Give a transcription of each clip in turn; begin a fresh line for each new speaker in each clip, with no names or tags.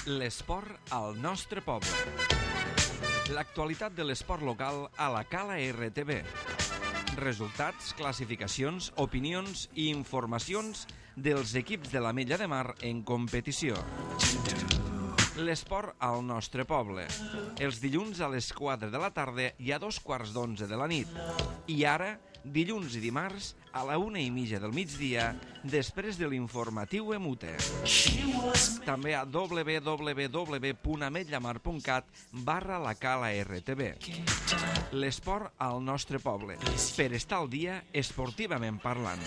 L'esport al nostre poble. L'actualitat de l'esport local a la Cala RTV. Resultats, classificacions, opinions i informacions dels equips de l'Ametlla de Mar en competició. L'esport al nostre poble. Els dilluns a les 4 de la tarda i a 2:15 de la nit. I ara, dilluns i dimarts, a la 1:30 del migdia, després de l'informatiu Emute. També a www.ametllamar.cat/la Cala RTV. L'esport al nostre poble. Per estar al dia, esportivament parlant.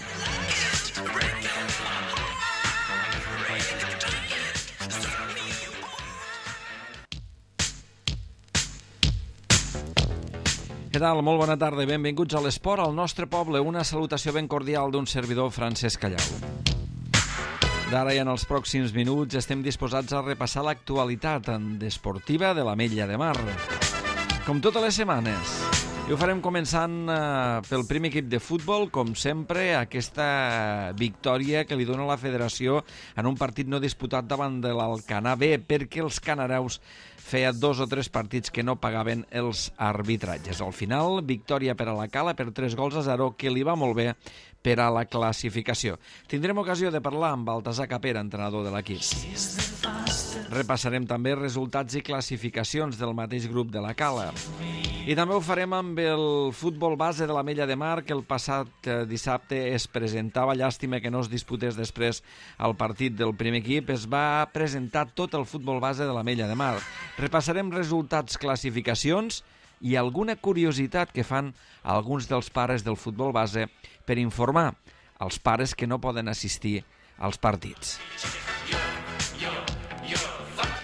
Què tal? Molt bona tarda i benvinguts a l'esport al nostre poble. Una salutació ben cordial d'un servidor, Francesc Callau. D'ara i en els pròxims minuts estem disposats a repassar l'actualitat esportiva de l'Ametlla de Mar, com totes les setmanes. I ho farem començant pel primer equip de futbol, com sempre, aquesta victòria que li dona la federació en un partit no disputat davant de l'Alcanar B, perquè els canareus feia 2 o 3 partits que no pagaven els arbitratges. Al final, victòria per a la Cala per 3-0, que li va molt bé per a la classificació. Tindrem ocasió de parlar amb Baltasar Capera, entrenador de l'equip. Repassarem també resultats i classificacions del mateix grup de la Cala. I també ho farem amb el futbol base de l'Ametlla de Mar, que el passat dissabte es presentava. Llàstima que no es disputés després el partit del primer equip. Es va presentar tot el futbol base de l'Ametlla de Mar. Repassarem resultats, classificacions i alguna curiositat que fan alguns dels pares del futbol base per informar els pares que no poden assistir als partits.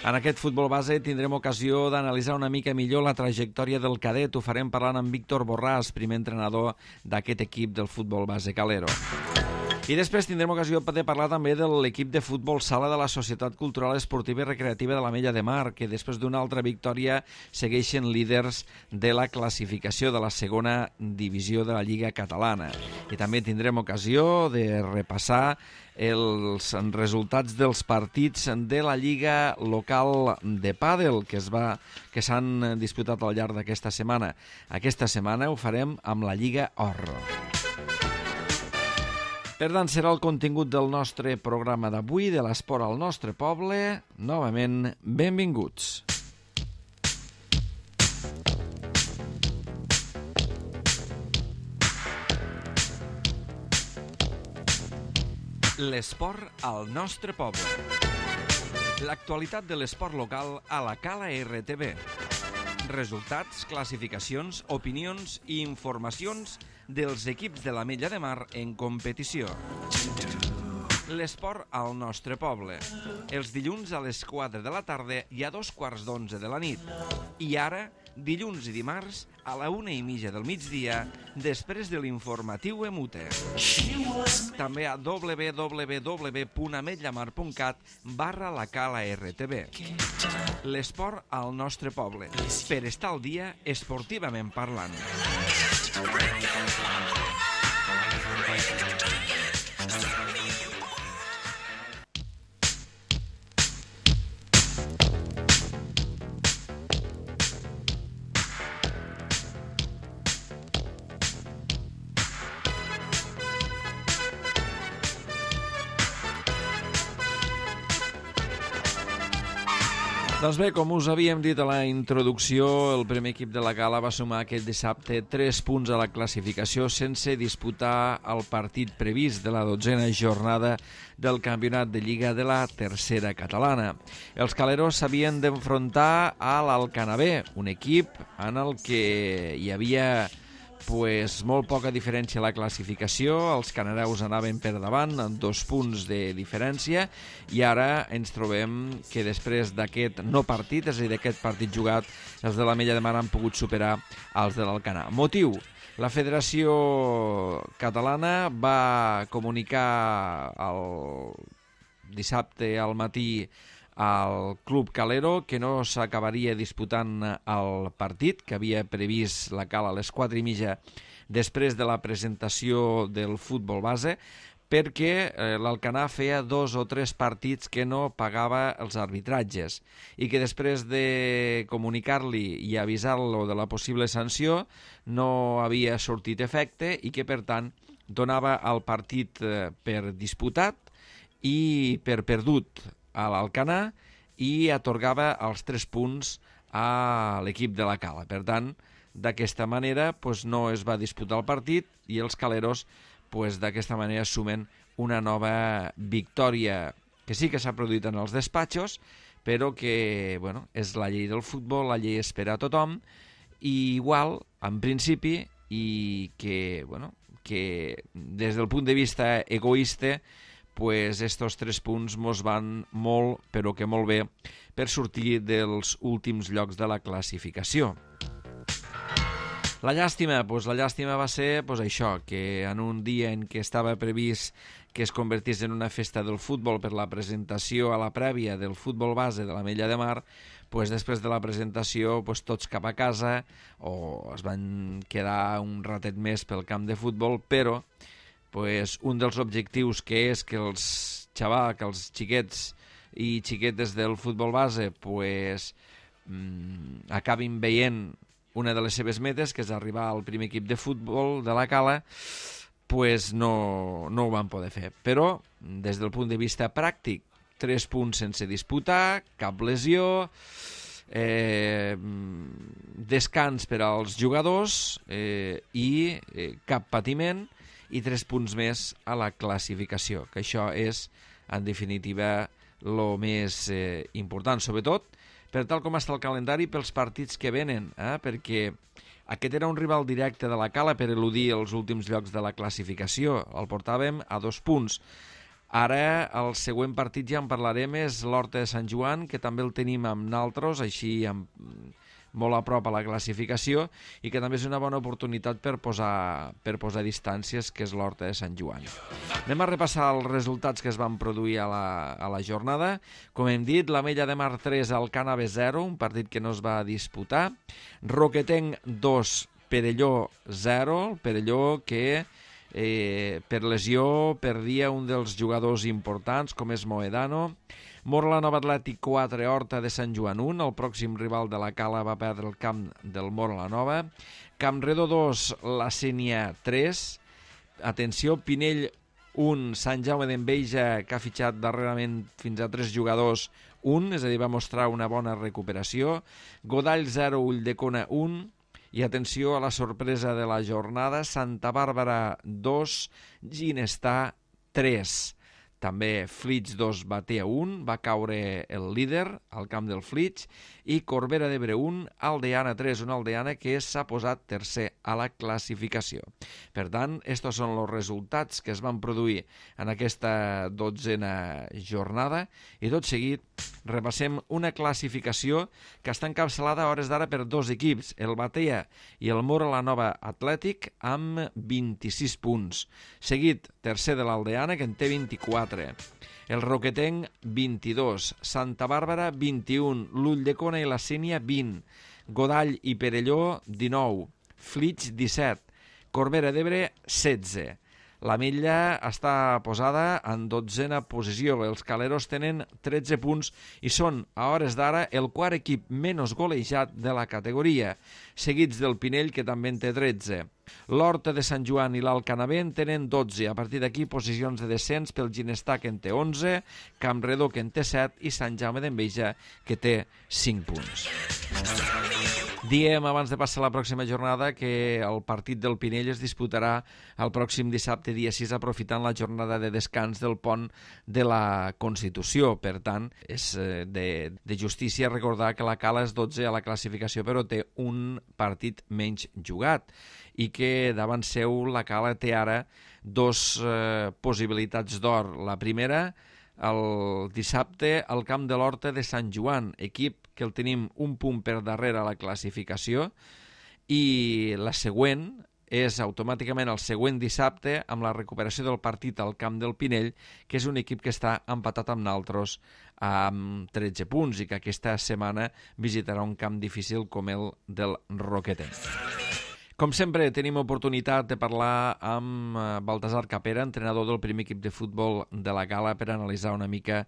En aquest futbol base tindrem ocasió d'analitzar una mica millor la trajectòria del cadet. Ho farem parlant amb Víctor Borràs, primer entrenador d'aquest equip del futbol base calero. I després tindrem ocasió de parlar també de l'equip de futbol sala de la Societat Cultural Esportiva i Recreativa de l'Ametlla de Mar, que després d'una altra victòria segueixen líders de la classificació de la segona divisió de la Lliga Catalana. I també tindrem ocasió de repassar els resultats dels partits de la Lliga Local de Pàdel que s'han disputat al llarg d'aquesta setmana. Aquesta setmana ho farem amb la Lliga Or. Per tant, serà el contingut del nostre programa d'avui, de l'esport al nostre poble. Novament, benvinguts. L'esport al nostre poble. L'actualitat de l'esport local a la Cala RTV. Resultats, classificacions, opinions i informacions dels equips de l'Ametlla de Mar en competició. L'esport al nostre poble. Els dilluns a les 4 de la tarda i a 2:15 de la nit. I ara, dilluns i dimarts, a la 1:30 del migdia, després de l'informatiu Emute. També a www.ametllamar.cat/la Cala RTV. L'esport al nostre poble. Per estar al dia, esportivament parlant. Doncs bé, com us havíem dit a la introducció, el primer equip de la Cala va sumar aquest dissabte 3 punts a la classificació sense disputar el partit previst de la 12a jornada del campionat de Lliga de la tercera catalana. Els caleros s'havien d'enfrontar a l'Alcanar B, un equip en el que hi havia molt poca diferència a la classificació. Els canareus anaven per davant amb 2 punts de diferència i ara ens trobem que després d'aquest no partit, és a dir, d'aquest partit jugat, els de l'Ametlla de Mar han pogut superar els de l'Alcanar. Motiu: la Federació Catalana va comunicar el dissabte al matí al Club Calero que no s'acabaria disputant el partit que havia previst la Cala a les 4:30 després de la presentació del futbol base, perquè l'Alcanar feia 2 o 3 partits que no pagava els arbitratges i que després de comunicar-li i avisar-lo de la possible sanció no havia sortit efecte i que, per tant, donava el partit per disputat i per perdut a l'Alcanar i atorgava els 3 punts a l'equip de la Cala. Per tant, d'aquesta manera no es va disputar el partit i els caleros d'aquesta manera sumen una nova victòria que sí que s'ha produït en els despatxos, però que és la llei del futbol, la llei espera a tothom, i igual, en principi, i que des del punt de vista egoista, estos 3 punts mos van molt, però que molt bé, per sortir dels últims llocs de la classificació. La llàstima va ser això, que en un dia en què estava previst que es convertís en una festa del futbol per la presentació a la prèvia del futbol base de l'Ametlla de Mar, després de la presentació tots cap a casa o es van quedar un ratet més pel camp de futbol, però un dels objectius que és que els xiquets i xiquetes del futbol base acabin veient una de les seves metes, que és arribar al primer equip de futbol de la Cala, no ho van poder fer. Però, des del punt de vista pràctic, 3 punts sense disputar, cap lesió, descans per als jugadors i cap patiment, i 3 punts més a la classificació, que això és, en definitiva, el més important, sobretot per tal com està el calendari pels partits que venen, perquè aquest era un rival directe de la Cala per eludir els últims llocs de la classificació. El portàvem a 2 punts. Ara el següent partit ja en parlarem, és l'Horta de Sant Joan, que també el tenim amb naltros, així molt a prop a la classificació, i que també és una bona oportunitat per posar distàncies, que és l'Horta de Sant Joan. Anem a repassar els resultats que es van produir a la jornada. Com hem dit, l'Ametlla de Mar 3, Alcànave 0, un partit que no es va disputar. Roquetenc 2, Perelló 0, el Perelló que per lesió perdia un dels jugadors importants, com és Moedano. Mora-la-Nova Atlètic 4, Horta de Sant Joan 1. El pròxim rival de la Cala va perdre el camp del Mora-la-Nova. Campredó 2, la Sénia 3. Atenció, Pinell 1, Sant Jaume d'Enveja, que ha fitxat darrerament fins a 3 jugadors 1, és a dir, va mostrar una bona recuperació. Godall 0, Ulldecona 1. I atenció a la sorpresa de la jornada, Santa Bàrbara 2, Ginestar 3. També Flix 2, Batea 1, va caure el líder al camp del Flix, i Corbera d'Ebre 1, Aldeana 3, una Aldeana que s'ha posat tercer a la classificació. Per tant, estos són els resultats que es van produir en aquesta 12a jornada, i tot seguit repassem una classificació que està encapçalada a hores d'ara per 2 equips, el Batea i el Mora-la-Nova Atlètic, amb 26 punts. Seguit, tercer de l'Aldeana, que en té 24. El Roquetenc, 22. Santa Bàrbara, 21. l'Ulldecona i la Sénia, 20. Godall i Perelló, 19. Flix, 17. Corbera d'Ebre, 16. L'Ametlla està posada en 12a posició. Els caleros tenen 13 punts i són, a hores d'ara, el quart equip menys golejat de la categoria, seguits del Pinell, que també en té 13. L'Horta de Sant Joan i l'Alcanavè en tenen 12. A partir d'aquí, posicions de descens pel Ginestar, que en té 11, Campredó, que en té 7, i Sant Jaume d'Enveja, que té 5 punts. Diem, abans de passar a la pròxima jornada, que el partit del Pinell es disputarà el pròxim dissabte, dia 6, aprofitant la jornada de descans del pont de la Constitució. Per tant, és de justícia recordar que la Cala és 12 a la classificació, però té un partit menys jugat, i que davant seu la Cala té ara 2 possibilitats d'or. La primera, el dissabte al camp de l'Horta de Sant Joan, equip que el tenim un punt per darrere a la classificació, i la següent és automàticament el següent dissabte amb la recuperació del partit al camp del Pinell, que és un equip que està empatat amb naltros amb 13 punts i que aquesta setmana visitarà un camp difícil com el del Roquetenc. Com sempre, tenim oportunitat de parlar amb Baltasar Capera, entrenador del primer equip de futbol de la Gala, per analitzar una mica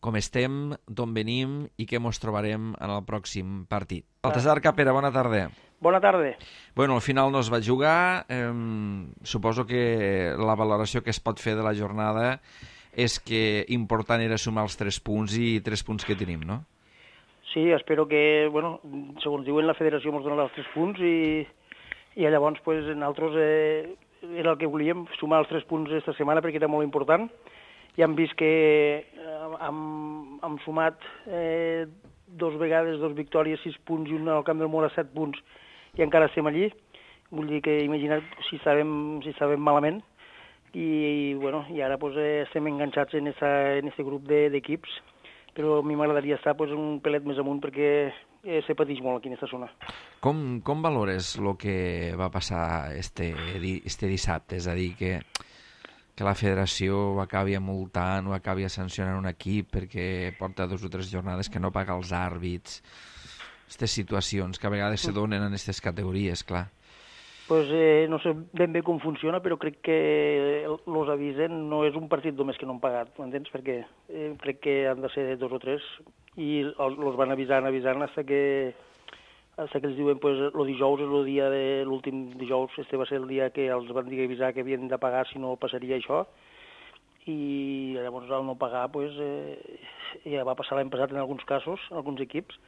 com estem, d'on venim i què ens trobarem en el pròxim partit. Baltasar Capera, bona tarda.
Bona tarda.
Bueno, al final no es va jugar. Suposo que la valoració que es pot fer de la jornada és que important era sumar els 3 punts i 3 punts que tenim, no?
Sí, espero que, bueno, segons diuen la federació ens donarà els 3 punts i llavors pues, nosaltres era el que volíem, sumar els 3 punts aquesta setmana perquè era molt important. Ja hem vist que hem sumat 2 vegades, 2 victòries, 6 punts i una al Camp del Mora 7 punts i encara estem allí. Vull dir que imagina't si estàvem malament i, bueno, i ara pues, estem enganxats en este grup d'equips, però a mi m'agradaria estar pues, un pelet més amunt perquè se pateix molt aquí en aquesta zona.
Com valores el que va passar este dissabte? És a dir, que la federació acabi multant o acabi sancionant un equip perquè porta 2 o 3 jornades que no paga els àrbits. Aquestes situacions que a vegades se donen en aquestes categories, clar.
Pues, no sé ben bé com funciona, però crec que els avisen, no és un partit només que no han pagat, m'entens? Perquè crec que han de ser 2 o 3 i els van avisant fins que els diuen pues, el dijous és el dia de l'últim dijous, este va ser el dia que els van dir avisar que havien de pagar si no passaria això, i llavors al no pagar pues, ja va passar l'any passat en alguns casos, en alguns equips,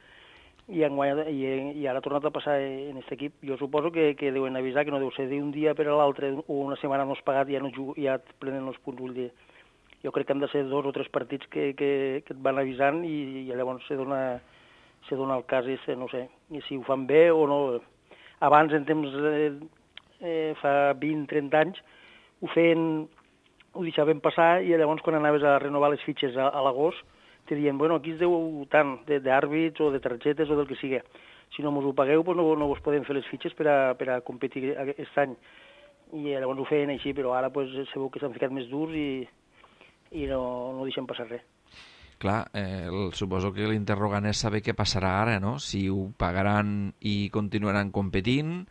i ara ha tornat a passar en aquest equip. Jo suposo que deuen avisar, que no deu ser d'un dia per a l'altre o una setmana no has pagat i ja et prenen els punts, vull dir. Jo crec que han de ser 2 o 3 partits que et van avisant i llavors se dona el cas, no sé, i si ho fan bé o no. Abans, en temps, fa 20-30 anys, ho deixaven passar i llavors quan anaves a renovar les fitxes a l'agost te diuen, bueno, aquí es deu tant d'àrbits o de targetes o del que sigui. Si no mos ho pagueu, pues no vos podem fer les fitxes per a competir aquest any. I llavors ho feien així, però ara pues, sabeu que s'han ficat més durs i no deixen passar res.
Clar, suposo que l'interrogant és saber què passarà ara, no? Si ho pagaran i continuaran competint,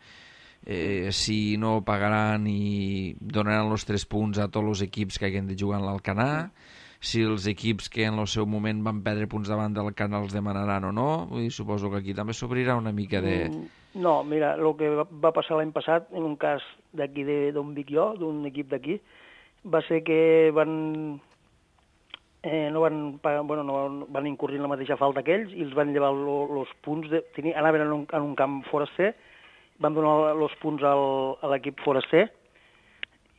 si no pagaran i donaran els 3 punts a tots els equips que hagin de jugar en l'Alcanar, si els equips que en el seu moment van perdre punts davant del Alcanar els demanaran o no. Vull dir, suposo que aquí també s'obrirà una mica de...
No, mira, el que va passar l'any passat, en un cas d'aquí d'on vic jo, d'un equip d'aquí, va ser que van incurrir en la mateixa falta que ells i els van llevar els punts, anaven en un camp foraster, van donar els punts a l'equip foraster,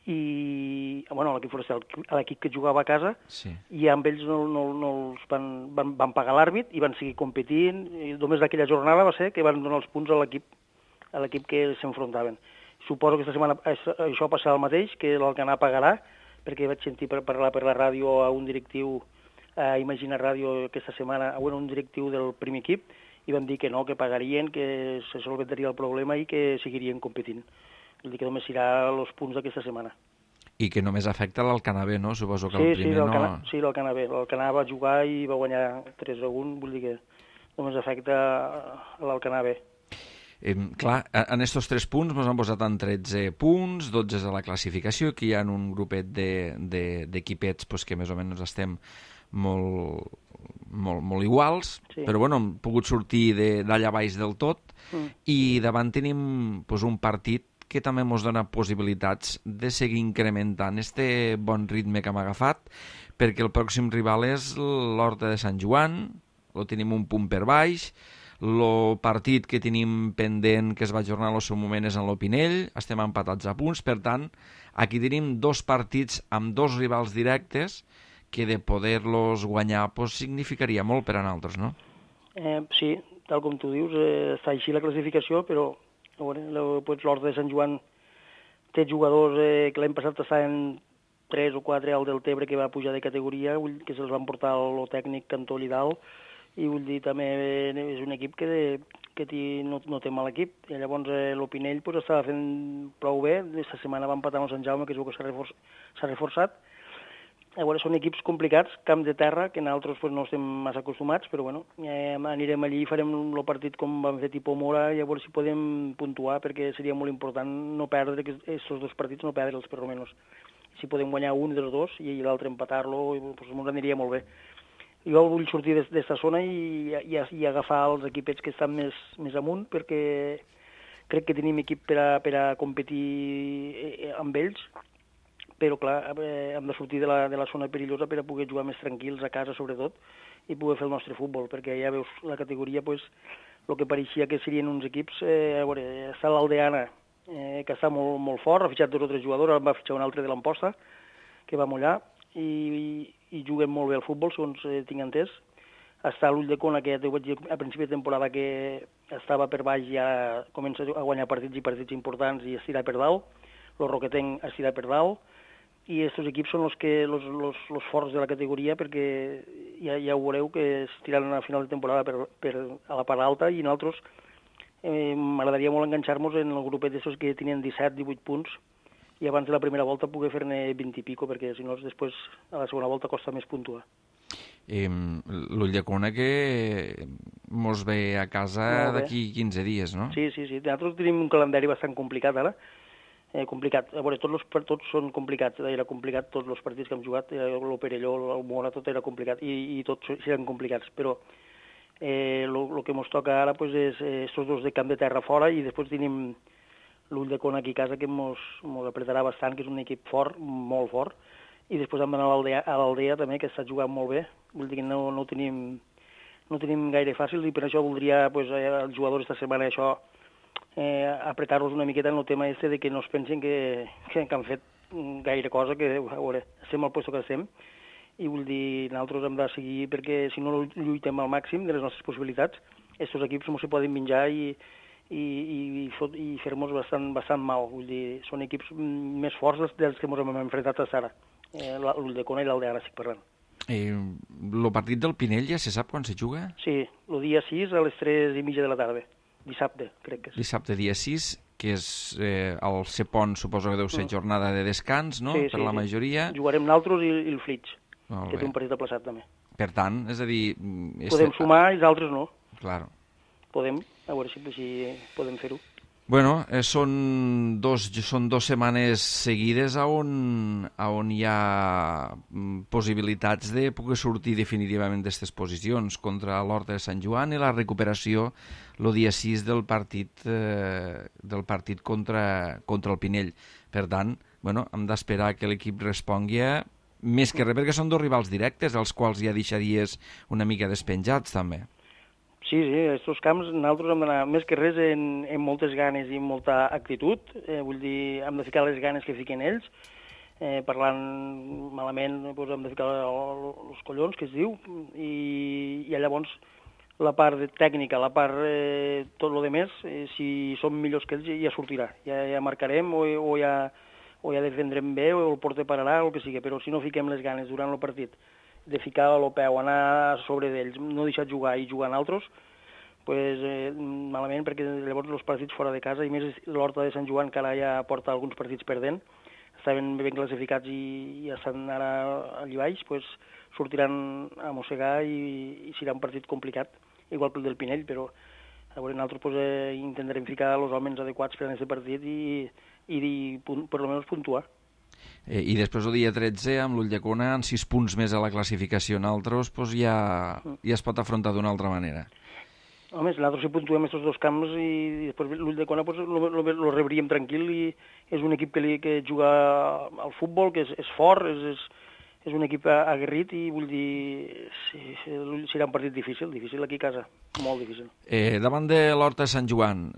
i bueno, a l'equip que jugava a casa, sí. I amb ells no els van pagar l'àrbit i van seguir competint, i només d'aquella jornada va ser que van donar els punts a l'equip que s'enfrontaven. Suposo que aquesta setmana això passarà el mateix, que l'Alcanar pagarà, perquè vaig sentir parlar per la ràdio a un directiu, a Imagina Ràdio aquesta setmana, un directiu del primer equip, i van dir que no, que pagarien, que se solventaria el problema i que seguirien competint. Vull dir que només serà els punts d'aquesta setmana.
I que només afecta l'Alcanar B, no? Suposo que el primer no...
Sí, l'Alcanar B. L'Alcanar va jugar i va guanyar 3-1, vull dir que només afecta l'Alcanar B.
Clar, en estos 3 punts ens han posat en 13 punts, 12 a la classificació, que hi ha un grupet d'equipets que més o menys estem molt iguals, sí. Però bueno, hem pogut sortir d'allà baix del tot i davant tenim un partit que també ens dona possibilitats de seguir incrementant este bon ritme que hem agafat, perquè el pròxim rival és l'Horta de Sant Joan, lo tenim un punt per baix, el partit que tenim pendent, que es va ajornar en el seu moment, és en l'Opinell, estem empatats a punts, per tant, aquí tenim 2 partits amb 2 rivals directes que de poder-los guanyar significaria molt per a nosaltres, no?
Sí, tal com tu dius, està així la classificació, però l'Horta de Sant Joan té jugadors que l'any passat estaven 3 o 4 al Deltebre que va pujar de categoria, que se'ls van portar el tècnic Cantó Lidal, i vull dir, també és un equip que no té mal equip. I llavors l'Opinell estava fent prou bé. Aquesta setmana va empatar amb Sant Jaume, que és el que s'ha reforçat. A veure, són equips complicats, camp de terra, que nosaltres pues, no estem massa acostumats, però bueno, anirem allí i farem el partit com vam fer tipus Mora i a veure si podem puntuar, perquè seria molt important no perdre aquests dos partits, no perdre'ls per almenys. Si podem guanyar un dels dos i l'altre empatar-lo, pues, ens aniria molt bé. Jo vull sortir d'esta zona i agafar els equipets que estan més amunt, perquè crec que tenim equip per a competir amb ells, però clar, hem de sortir de la zona perillosa per a poder jugar més tranquils a casa sobretot i poder fer el nostre futbol, perquè ja veus la categoria, pues, el que pareixia que serien uns equips, a veure, està l'Aldeana, que està molt, molt fort, ha fitxat 2 o 3 jugadors, va fitxar un altre de l'Amposta, que va mullar, i juguen molt bé al futbol, segons tinc entès. Està l'Ulldecona, que ja t'ho vaig dir a principi de temporada que estava per baix, ja comença a guanyar partits importants i estirar per dalt, el Roquetenc estirar per dalt, i aquests equips són els forts de la categoria, perquè ja ho veureu que es tiraran a final de temporada a la part alta, i nosaltres m'agradaria molt enganxar-nos en el grupet d'aquests que tenien 17-18 punts i abans de la primera volta poder fer-ne 20 i pico, perquè si no després a la segona volta costa més puntuar.
L'Ulldecona que mos ve a casa d'aquí 15 dies, no?
Sí. Nosaltres tenim un calendari bastant complicat ara, complicat. A veure, tots són complicats, era complicat tots els partits que hem jugat, el Perelló, el Mora, tot era complicat, i tots eren complicats, però el que ens toca ara pues, és estos dos de camp de terra fora, i després tenim l'Ulldecona aquí a casa, que ens apretarà bastant, que és un equip fort, molt fort, i després hem d'anar a l'Aldea també, que està jugant molt bé, vull dir que no ho tenim gaire fàcil, i per això voldria, pues, els jugadors esta setmana, això, apretar-los una miqueta en el tema de que no es pensin que han fet gaire cosa, que a veure, estem al lloc que estem, i vull dir, nosaltres hem de seguir, perquè si no lluitem al màxim de les nostres possibilitats, aquests equips no se poden menjar i fer-nos bastant mal. Vull dir, són equips més forts dels que ens hem enfrontat a Sara, l'Ulldecona i l'Aldeana, estic parlant.
El partit del Pinell ja se sap quan se juga?
Sí, el dia 6 a les 3:30 de la tarda. Dissabte, crec que és.
Dissabte, dia 6, que és el Cepont, suposo que deu ser jornada de descans, no?,
sí,
per la majoria.
Jugarem nosaltres i el Flix, que té un partit aplaçat també.
Per tant, és a dir...
Podem sumar i els altres no.
Claro.
Podem, a veure si podem fer-ho.
Bueno, són dos setmanes seguides on hi ha possibilitats de poder sortir definitivament d'aquestes posicions contra l'Horta de Sant Joan i la recuperació el dia 6 del partit contra el Pinell. Per tant, bueno, hem d'esperar que l'equip respongui més que res, perquè són 2 rivals directes, els quals ja deixaries una mica despenjats també.
Sí, aquests camps nosaltres hem d'anar més que res en moltes ganes i molta actitud, vull dir, hem de ficar les ganes que fiquen ells, parlant malament doncs hem de ficar els collons, que es diu, i llavors la part tècnica, la part tot el demés, si som millors que ells ja sortirà, ja marcarem o ja defendrem bé o el porter pararà o el que sigui, però si no fiquem les ganes durant el partit de ficar el peu, anar sobre d'ells, no deixar jugar i jugar en altres, pues, malament, perquè llavors els partits fora de casa, i més l'Horta de Sant Joan, que ara ja porta alguns partits perdent, estaven ben classificats i ja estan ara allà baix, pues, sortiran a mossegar i serà un partit complicat, igual que el del Pinell, però a veure, nosaltres pues, intentarem ficar els homes adequats per a aquest partit i per almenys puntuar.
I després el dia 13, amb l'Ulldecona, amb 6 punts més a la classificació en altres, doncs ja es pot afrontar d'una altra manera.
Home, nosaltres si puntuem aquests 2 camps i després l'Ulldecona lo rebríem tranquil, i és un equip que juga al futbol, que és fort, és un equip aguerrit, i vull dir, serà un partit difícil aquí a casa, molt difícil.
Davant de l'Horta de Sant Joan,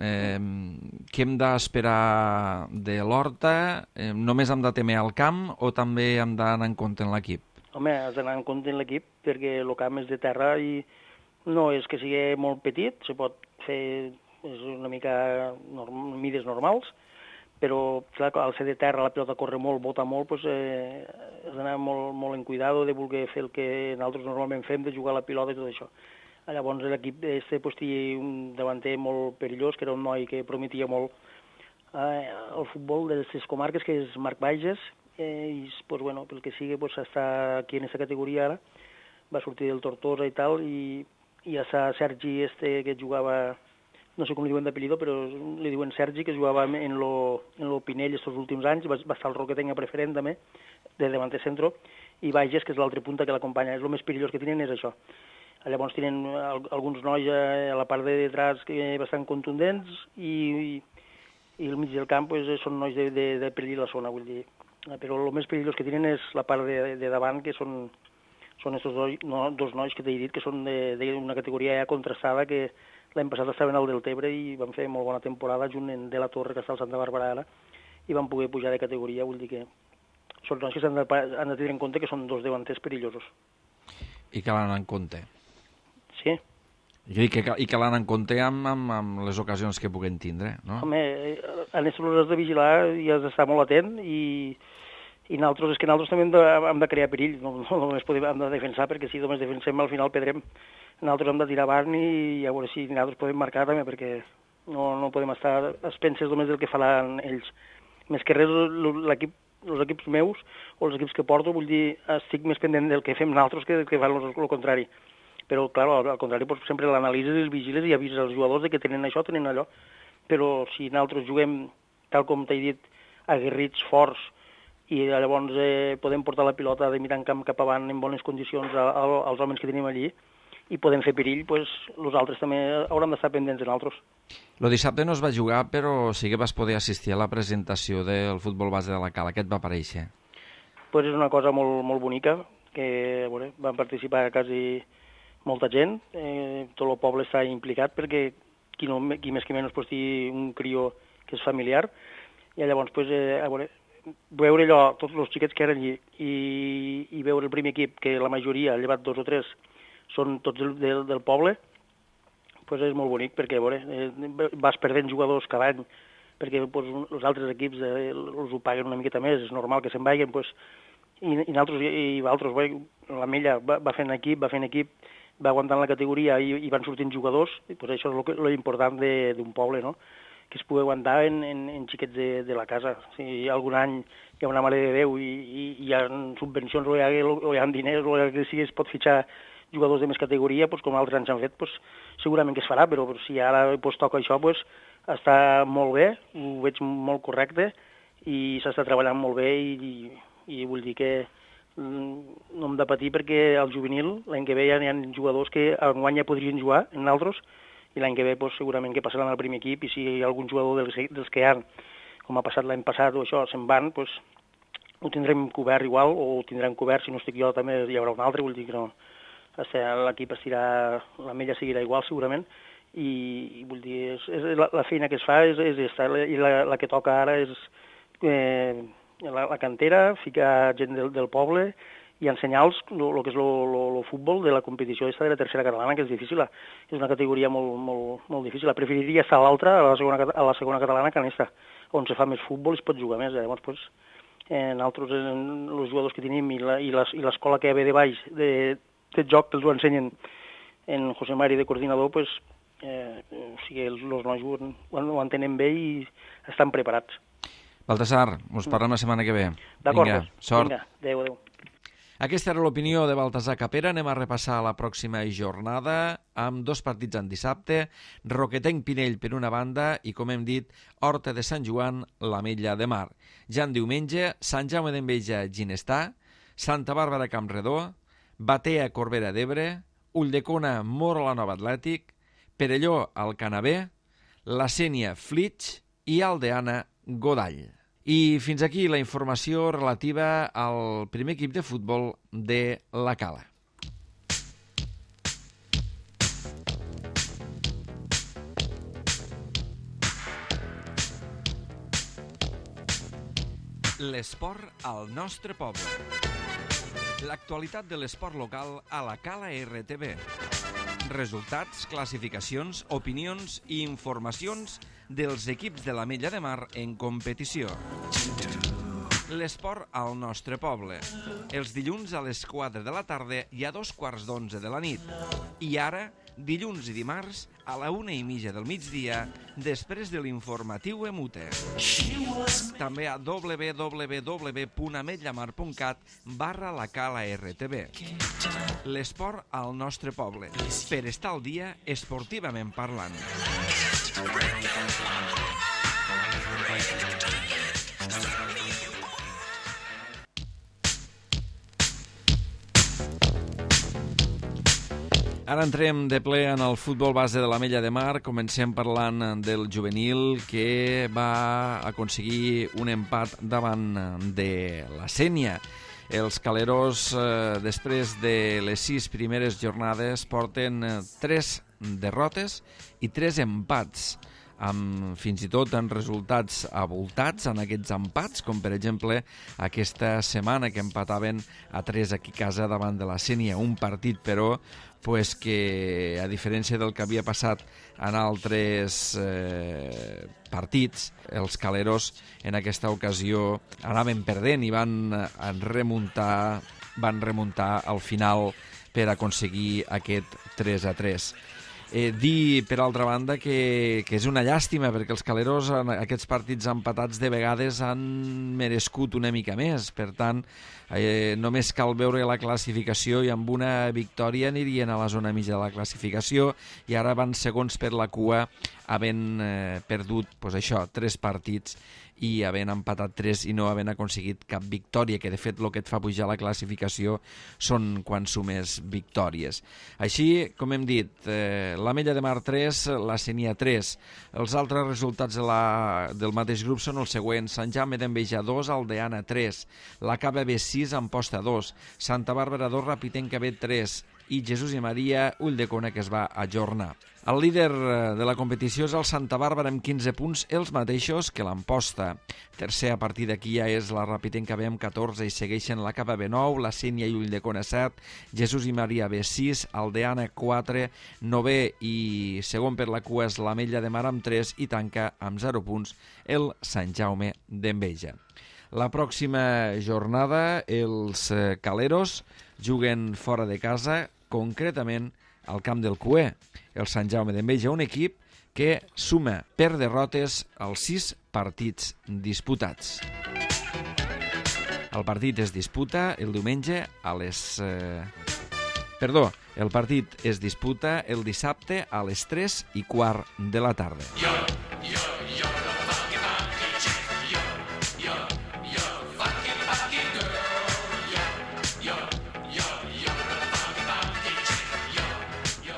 què hem d'esperar de l'Horta? Només hem de temer al camp o també hem d'anar en compte en l'equip?
Home, has d'anar en compte en l'equip, perquè el camp és de terra i no és que sigui molt petit, se pot fer una mica mides normals, però clar, al ser de terra la pilota corre molt, bota molt, doncs, has d'anar molt en cuidado de voler fer el que nosaltres normalment fem, de jugar la pilota i tot això. Llavors l'equip pues, té un davanter molt perillós, que era un noi que prometia molt el futbol de les comarques, que és Marc Bages, i pues, bueno, pel que sigui pues, està aquí en aquesta categoria ara, va sortir del Tortosa i tal, i ja està Sergi que jugava, no sé com li diuen d'apellido, però li diuen Sergi, que jugava en lo Pinell estos últims anys, va estar el Roquetenc a preferent també, de davanter centro, i Bages, que és l'altre punta que l'acompanya. És el més perillós que tenen és això. Llavors tenen alguns nois a la part de detrás bastant contundents i el mig del camp pues, són nois de perill la zona, vull dir. Però el més perillós que tenen és la part de davant, que són estos dos nois que t'he dit, que són d'una categoria ja contrastada, que l'any passat estaven al Deltebre i van fer molt bona temporada junt en De la Torre, que està al Santa Bàrbara ara, i van poder pujar de categoria, vull dir que són nois que han de tenir en compte que són dos davanters perillosos. I
que l'han en compte.
Sí.
I que l'han en compte amb les ocasions que puguen tindre, no?
Home, en això l'has de vigilar i has d'estar molt atent i nosaltres també hem de crear perill, no només hem de defensar, perquè si només defensem al final perdrem. Nosaltres hem de tirar avant i a veure si nosaltres podem marcar també, perquè no podem estar a expenses només del que faran ells. Més que res, els equips meus o els equips que porto, vull dir, estic més pendent del que fem nosaltres que del que fan el contrari. Però, clar, al contrari, doncs, sempre l'analitzes i els vigiles i avises als jugadors que tenen això, tenen allò. Però si nosaltres juguem, tal com t'he dit, aguerrits, forts, i llavors podem portar la pilota de mirar en camp cap avant en bones condicions als homes que tenim allí i podem fer perill, doncs nosaltres també haurem d'estar pendents de nosaltres.
El dissabte no es va jugar, però sí que vas poder assistir a la presentació del futbol base de la Cala. Què et va parèixer?
Pues és una cosa molt, molt bonica, que bueno, van participar quasi molta gent, tot el poble està implicat perquè qui més que menys pues, té un crió que és familiar, i llavors pues, veure allò, tots els xiquets que eren allí i veure el primer equip, que la majoria, llevat 2 o 3, són tots del poble, pues és molt bonic perquè vas perdent jugadors cada any perquè pues, els altres equips els ho paguen una miqueta més, és normal que se'n vagin, pues, i altres, la Mella va fent equip, va aguantant la categoria i van sortint jugadors, i pues això és l'important d'un poble, no? Que es pugui aguantar en xiquets de la casa. Si algun any hi ha una Mare de Déu i hi ha subvencions o hi ha diners o que sigui, es pot fitxar jugadors de més categoria, pues, com altres anys han fet, pues, segurament que es farà, però si ara pues, toca això, pues, està molt bé, ho veig molt correcte i s'està treballant molt bé i vull dir que no hem de patir perquè al juvenil l'any que ve ja hi ha jugadors que enguany ja podrien jugar en altres i l'any que ve pues, segurament que passaran al primer equip i si hi ha algun jugador dels que hi ha, com ha passat l'any passat o això, se'n van, pues, ho tindrem cobert igual o ho tindrem cobert, si no estic jo també hi haurà un altre, vull dir que no, l'equip estirà, la Mella seguirà igual segurament i vull dir, la feina que es fa és esta, i la que toca ara és la cantera, ficar gent del poble i ensenyar-los el que és el futbol de la competició de la tercera catalana, que és difícil, és una categoria molt, molt, molt difícil. Preferiria estar a l'altra, a la segona catalana, que en esta, on se fa més futbol i es pot jugar més. Llavors, pues, nosaltres, els jugadors que tenim i l'escola que hi ha de baix de joc que els ho ensenyen en José Mari de coordinador, pues, o sigui, els nois ho entenen bé i estan preparats.
Baltasar, us parlem la setmana que ve.
D'acord,
vinga, sort.
Vinga, adéu.
Aquesta era l'opinió de Baltasar Capera. Anem a repassar la pròxima jornada amb 2 partits en dissabte. Roquetenc-Pinell per una banda i, com hem dit, Horta de Sant Joan, l'Ametlla de Mar. Ja en diumenge, Sant Jaume d'Enveja, Ginestà, Santa Bàrbara Campredó, Batea, Corbera d'Ebre, Ulldecona, Moro la Nova Atlètic, Perelló, Alcanavé, La Sénia, Flix i Aldeana, Godall. I fins aquí la informació relativa al primer equip de futbol de la Cala. L'esport al nostre poble. L'actualitat de l'esport local a la Cala RTV. Resultats, classificacions, opinions i informacions dels equips de l'Ametlla de Mar en competició. L'esport al nostre poble. Els dilluns a les 4 de la tarda i a 2:15 de la nit. I ara, dilluns i dimarts a la 1:30 del migdia, després de l'informatiu Emute. També a www.ametlllamar.cat/la L'esport al nostre poble, per estar al dia esportivament parlant. Ara entrem de ple en el futbol base de l'Ametlla de Mar. Comencem parlant del juvenil que va aconseguir un empat davant de la Sénia. Els caleros, després de les 6 primeres jornades, porten 3 derrotes i 3 empats, amb fins i tot en resultats avoltats en aquests empats, com per exemple aquesta setmana que empataven a 3 aquí a casa davant de la Sénia. Un partit, però, que a diferència del que havia passat en altres partits, els caleros en aquesta ocasió anaven perdent i van remuntar al final per aconseguir aquest 3-3. Dir, per altra banda, que és una llàstima, perquè els caleros en aquests partits empatats de vegades han merescut una mica més. Per tant, només cal veure la classificació i amb una victòria anirien a la zona mitja de la classificació, i ara van segons per la cua, havent perdut 3 partits i havent empatat 3 i no havent aconseguit cap victòria, que de fet el que et fa pujar la classificació són quan sumes victòries. Així, com hem dit, l'Ametlla de Mar 3, la Sénia 3. Els altres resultats del mateix grup són els següents: Sant Jaume d'Enveja 2, Aldeana 3, la Cava B 6, Amposta 2, Santa Bàrbara 2, Rapitenca B 3 i Jesús i Maria, Ulldecona, que es va ajornar. El líder de la competició és el Santa Bàrbara amb 15 punts, els mateixos que l'Amposta. Tercer, a partir d'aquí ja és la Rapitenca B amb 14 i segueixen la Cava B 9, la Sénia i Ulldecona 7, Jesús i Maria B 6, Aldeana 4, novè i segon per la cua és l'Ametlla de Mar amb 3 i tanca amb 0 punts el Sant Jaume d'Enveja. La pròxima jornada els caleros juguen fora de casa, concretament al camp del Cuer. El Sant Jaume d'Enveja, un equip que suma per derrotes els 6 partits disputats. El partit es disputa el diumenge a les... el partit es disputa el dissabte a les 3:15 de la tarda.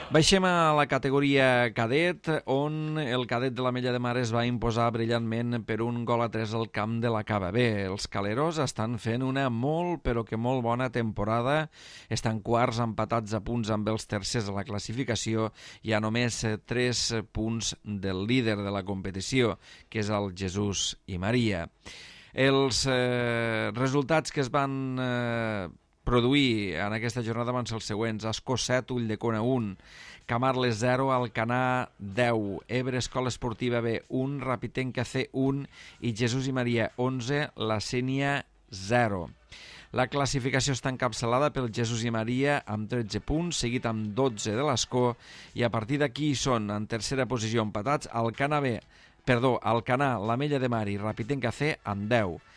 Baixem a la categoria cadet, on el cadet de l'Ametlla de Mar es va imposar brillantment per 1-3 al camp de la Cava B. Els caleros estan fent una molt, però que molt bona temporada. Estan quarts, empatats a punts amb els tercers a la classificació i a només 3 punts del líder de la competició, que és el Jesús i Maria. Els resultats que es van produir en aquesta jornada van ser els següents: Ascó 7, Ulldecona 1, Camarles 0, Alcanar 10, Ebre Escola Esportiva B 1, Rapitenca C 1 i Jesús i Maria 11, la Sénia 0. La classificació està encapçalada pel Jesús i Maria amb 13 punts, seguit amb 12 de l'Ascó, i a partir d'aquí són en tercera posició empatats Alcanar, l'Ametlla de Mar i Rapitenca C amb 10.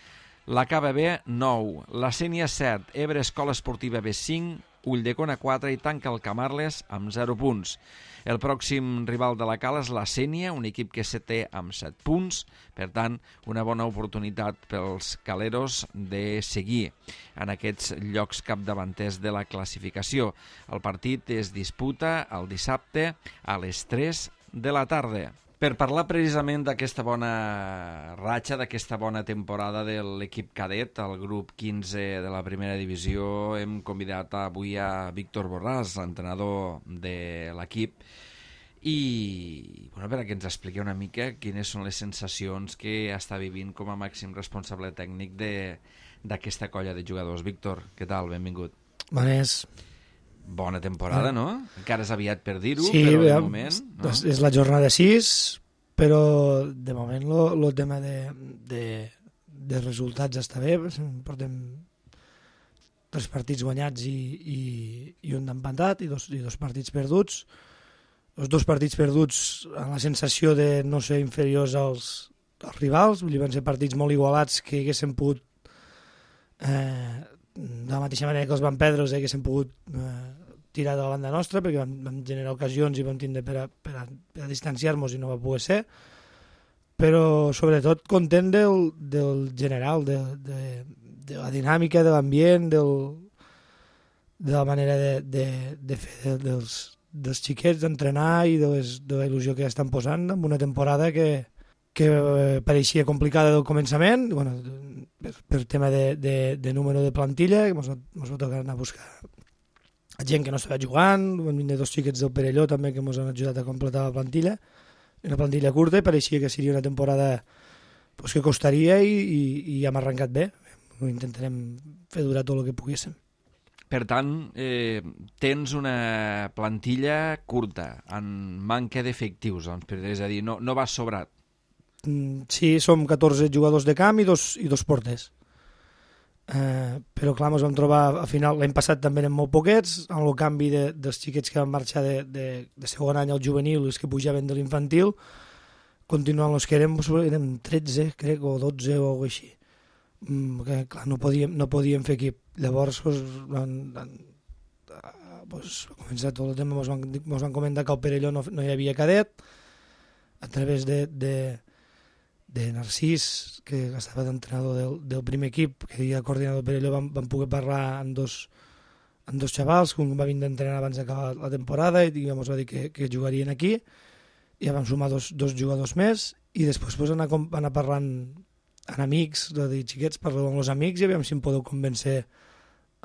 La Cava B 9, la Sénia 7, Ebre Escola Esportiva B 5, Ulldecona 4 i tanca el Camarles amb 0 punts. El pròxim rival de la Cala és la Sénia, un equip que té amb 7 punts, per tant, una bona oportunitat pels caleros de seguir en aquests llocs capdavanters de la classificació. El partit es disputa el dissabte a les 3 de la tarda. Per parlar precisament d'aquesta bona ratxa, d'aquesta bona temporada de l'equip cadet, el grup 15 de la primera divisió, hem convidat avui a Víctor Borràs, l'entrenador de l'equip, i perquè ens expliqui una mica quines són les sensacions que està vivint com a màxim responsable tècnic d'aquesta colla de jugadors. Víctor, què tal? Benvingut.
Bones.
Bona temporada, no? Encara és aviat per dir-ho,
sí,
però de moment... No?
És la jornada 6, però de moment el tema de resultats està bé. Portem 3 partits guanyats i un d'empatat i dos partits perduts. els 2 partits perduts amb la sensació de no ser inferiors als rivals, vull dir, van ser partits molt igualats que haguessin pogut, de la mateixa manera que els van perdre, els haguessin pogut tirar de la banda nostra, perquè vam generar ocasions i vam tindre per a distanciar-nos i no va poder ser, però sobretot content del general, de la dinàmica, de l'ambient, de la manera de fer dels xiquets, d'entrenar i de la il·lusió que estan posant en una temporada que pareixia complicada del començament, bueno, per tema de número de plantilla, que ens va tocar anar a buscar gent que no estava jugant, van vindre 2 xiquets del Perelló també que ens han ajudat a completar la plantilla, una plantilla curta, i pareixia que seria una temporada pues, que costaria i hem arrencat bé. Ho intentarem fer durar tot el que poguéssim.
Per tant, tens una plantilla curta, en manca d'efectius, és a dir, no vas sobrat.
Sí, som 14 jugadors de camp i dos porters. Però clar, ens vam trobar al final, l'any passat també eren molt poquets, amb el canvi dels xiquets que van marxar de segon any al juvenil i els que pujaven de l'infantil, continuant els que érem 13, crec, o 12 o alguna cosa així. Que, clar, no podíem fer equip. Llavors va començar tot el tema, ens van comentar que al Perelló no hi havia cadet, a través de Narcís, que estava d'entrenador del primer equip, que era coordinador del Perelló, vam poder parlar amb dos xavals, que un va vindre a entrenar abans d'acabar la temporada i ens va dir que jugarien aquí, i ja vam sumar dos jugadors més, i després anar parlant amb amics, de dir, xiquets, parleu amb els amics i aviam si em podeu convèncer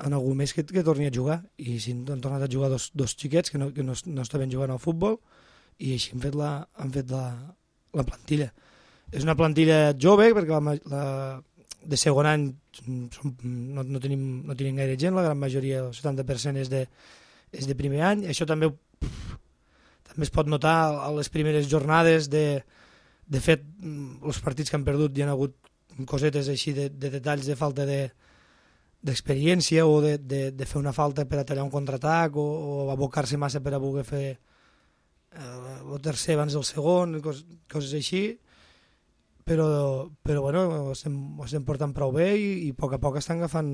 en algú més que torni a jugar. I si han tornat a jugar dos xiquets que no estaven jugant al futbol, i així han fet la plantilla. És una plantilla jove, perquè de segon any no tenim gaire gent, la gran majoria, el 70% és de primer any. Això també es pot notar a les primeres jornades. De fet, els partits que han perdut hi ha hagut cosetes així de detalls de falta d'experiència o de fer una falta per a tallar un contraatac o abocar-se massa per a voler fer el tercer abans del segon, coses així. Però bueno, ho estem portant prou bé i a poc estan agafant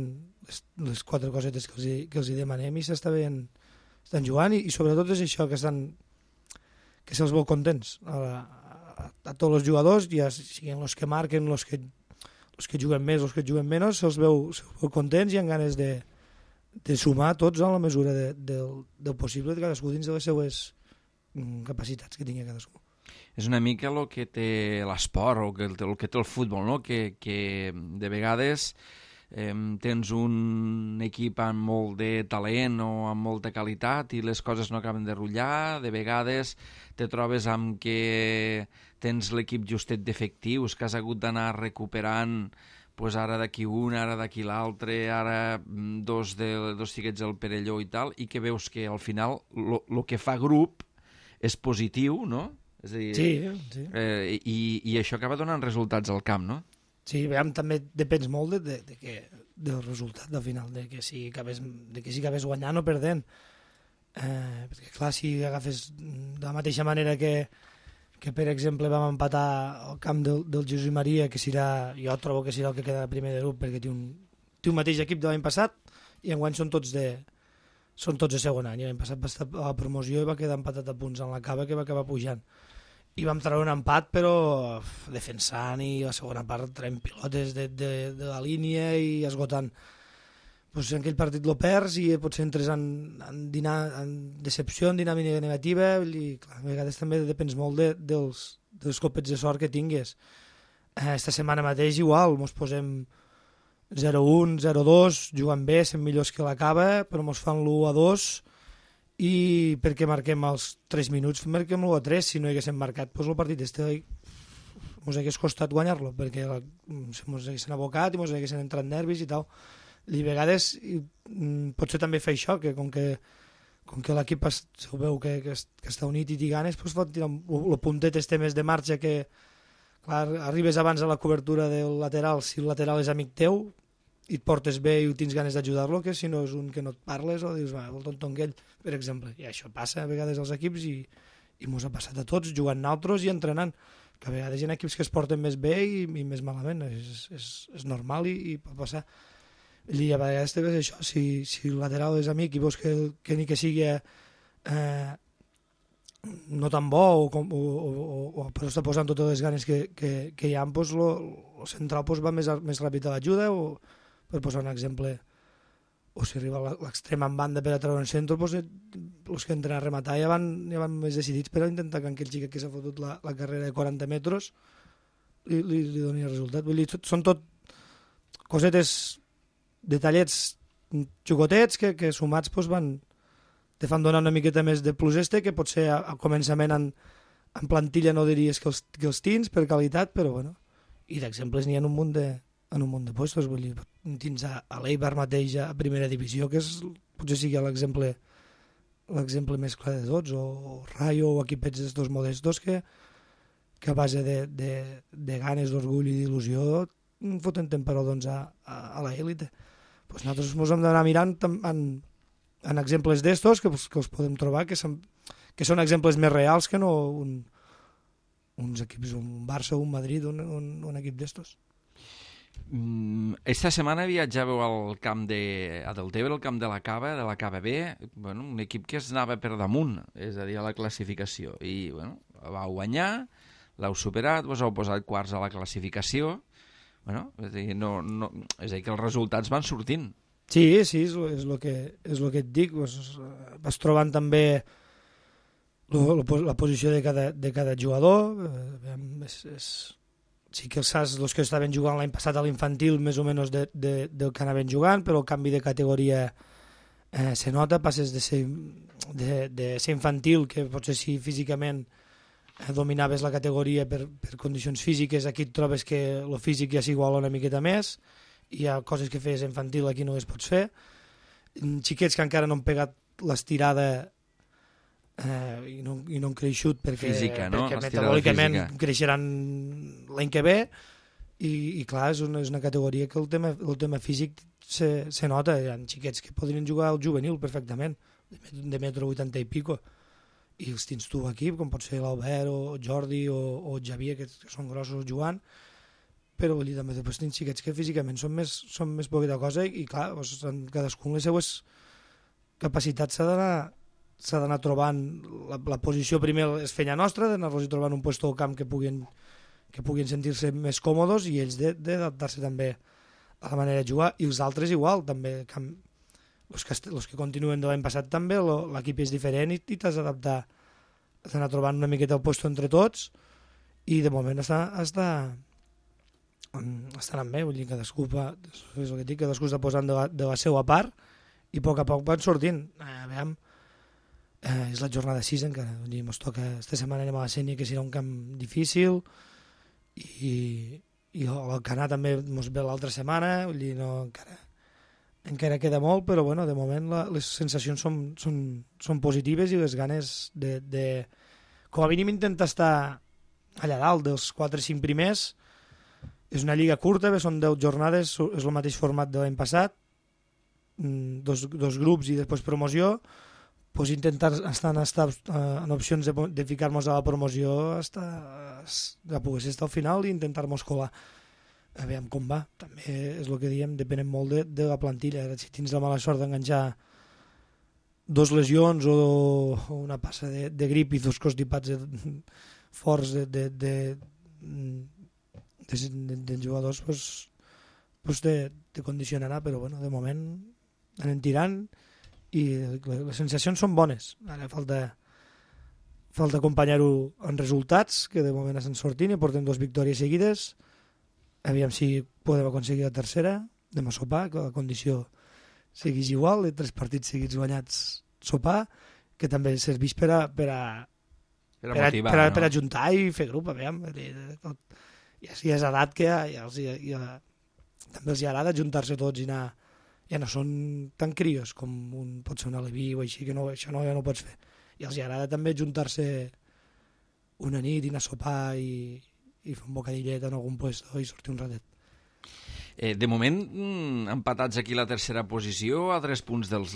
les 4 cosetes que els hi demanem i estan jugant i sobretot és això, que se'ls veu contents a tots els jugadors, ja siguin els que marquen, els que juguen més, els que juguen menys, se'ls veu contents i amb ganes de sumar tots en la mesura del possible de cadascú dins de les seues capacitats que tingui cadascú.
És una mica el que té l'esport o el que té el futbol, no? Que de vegades tens un equip amb molt de talent o amb molta qualitat i les coses no acaben de rutllar. De vegades te trobes amb que tens l'equip justet d'efectius, que has hagut d'anar recuperant pues ara d'aquí un, ara d'aquí l'altre, ara dos xiquets del Perelló i tal, i que veus que al final el que fa grup és positiu, no? És a dir,
sí.
I això acaba donant resultats al camp, no?
Sí, veiem, també depèn molt del resultat del final, de que si acabes guanyant o perdent. Perquè clar, si agafes de la mateixa manera que per exemple vam empatar al camp del Jesús Maria, que jo trobo que serà el que queda primer de grup, perquè té un mateix equip de l'any passat i enguany són tots de segon any. L'any passat va estar a la promoció i va quedar empatat a punts en la cava, que va acabar pujant. I vam treure un empat, però defensant, i a la segona part traient pilotes de la línia i esgotant. Pues en aquell partit lo perds i potser entres en decepció, en dinàmica negativa, i clar, a vegades també depens molt dels copets de sort que tingues. Esta setmana mateix igual, ens posem 0-1, 0-2, jugant bé, sent millors que l'acaba, però ens fan l'1-2 i perquè marquem els 3 minuts, marquem l'1-3, si no hi haguéssim marcat, doncs el partit ens hagués costat guanyar-lo, perquè ens haguessin abocat i ens haguessin entrat nervis i tal. I a vegades potser també fa això, que com que l'equip ho veu que està unit i té ganes, doncs pot tirar el puntet este més de marxa que clar, arribes abans a la cobertura del lateral, si el lateral és amic teu i et portes bé i tens ganes d'ajudar-lo, que si no és un que no et parles o dius, va, el tonto aquell, per exemple. I això passa a vegades als equips i i mos ha passat a tots jugant nosaltres i entrenant, que a vegades hi ha equips que es porten més bé i més malament, és normal i pot passar. I a vegades també és això, si el lateral és amic i veus que ni que sigui no tan bo o però està posant totes les ganes que hi ha, doncs el central va més ràpid a l'ajuda, o per posar un exemple, o si arriba a l'extrem en banda per a treure un centre, doncs els que entren a rematar ja van més decidits per a intentar que aquell xic que s'ha fotut la carrera de 40 metres li doni el resultat. Vull dir, són tot cosetes, detallets xicotets que sumats te fan donar una miqueta més de plus que potser al començament en plantilla no diries que els tens per qualitat, però bueno, i d'exemples n'hi ha en un munt de puestos. Vull dir, tens a l'Eibar mateix a primera divisió, que potser sigui l'exemple més clar de tots, o Rayo, o equipets d'estos modestos que a base de ganes, d'orgull i d'il·lusió foten temperodons a l'élite. Pues nosaltres ens hem d'anar mirant en exemples d'estos que els podem trobar, que són exemples més reals que no uns equips, un Barça, un Madrid, un equip d'estos.
Esta setmana viatjàveu al camp a Deltebre, al camp de la Cava B, bueno, un equip que es anava per damunt, és a dir, a la classificació, i bueno, vau guanyar, l'heu superat, vos heu posat quarts a la classificació. Bueno, és a dir, que els resultats van sortint.
Sí, és el que et dic. Vas trobant també la posició de cada jugador. Sí que els saps, els que estaven jugant l'any passat a l'infantil, més o menys del que anaven jugant, però el canvi de categoria se nota. Passes de ser infantil, que potser si físicament dominaves la categoria per condicions físiques, aquí et trobes que el físic ja s'iguala una miqueta més, hi ha coses que feies infantil aquí no les pots fer. Xiquets que encara no han pegat l'estirada i no han creixut perquè metabòlicament creixeran l'any que ve, i clar, és una categoria que el tema físic se nota. Hi ha xiquets que podrien jugar al juvenil perfectament, de metro 80 i pico, i els tens tu aquí, com pot ser l'Albert o Jordi o Xavier, que són grossos jugant, però vull dir, també després tens xiquets que físicament són més poqueta cosa, i clar, cadascun les seues capacitats s'ha d'anar trobant. La posició primer és feina nostra, d'anar-los trobant un lloc al camp que puguin sentir-se més còmodes, i ells d'adaptar-se també a la manera de jugar, i els altres igual, també. Els que continuen de l'any passat també, l'equip és diferent i t'has d'adaptar, has d'anar trobant una miqueta el lloc entre tots, i de moment està anant bé. Vull dir, cadascú està posant de la seva part, i a poc van sortint. Veiem, és la jornada 6 encara, vull dir, ens toca, esta setmana anem a la Sénia, que serà un camp difícil, i l'Alcanar també ens ve l'altra setmana, vull dir, encara queda molt, però bueno, de moment les sensacions són positives, i les ganes de com a mínim intentar estar allà dalt dels 4 o 5 primers. És una lliga curta, són 10 jornades, és el mateix format de l'any passat, dos grups i després promoció. Pues intentar estar en opcions de ficar-nos a la promoció de poder ser al final i intentar-nos colar. A veure com va. També és el que diem, depenem molt de la plantilla. Si tens la mala sort d'enganxar 2 lesions o una passa de grip i 2 constipats forts de jugadors, pues te condicionarà, però bueno, de moment anem tirant i les sensacions són bones. Ara falta acompanyar-ho en resultats, que de moment estan sortint i portem 2 victòries seguides. Aviam si podem aconseguir la tercera, anem a sopar, que la condició seguís igual, de 3 partits seguits guanyats, sopar, que també serveix per ajuntar i fer grup. Aviam, ja és edat que també els agrada ajuntar-se tots i anar. Ja no són tan crios com pot ser un Aleví o així, que això ja no ho pots fer. I els agrada també ajuntar-se una nit i anar a sopar i fer un bocadillet en algun lloc i sortir un ratet.
De moment, empatats aquí la tercera posició, a 3 punts del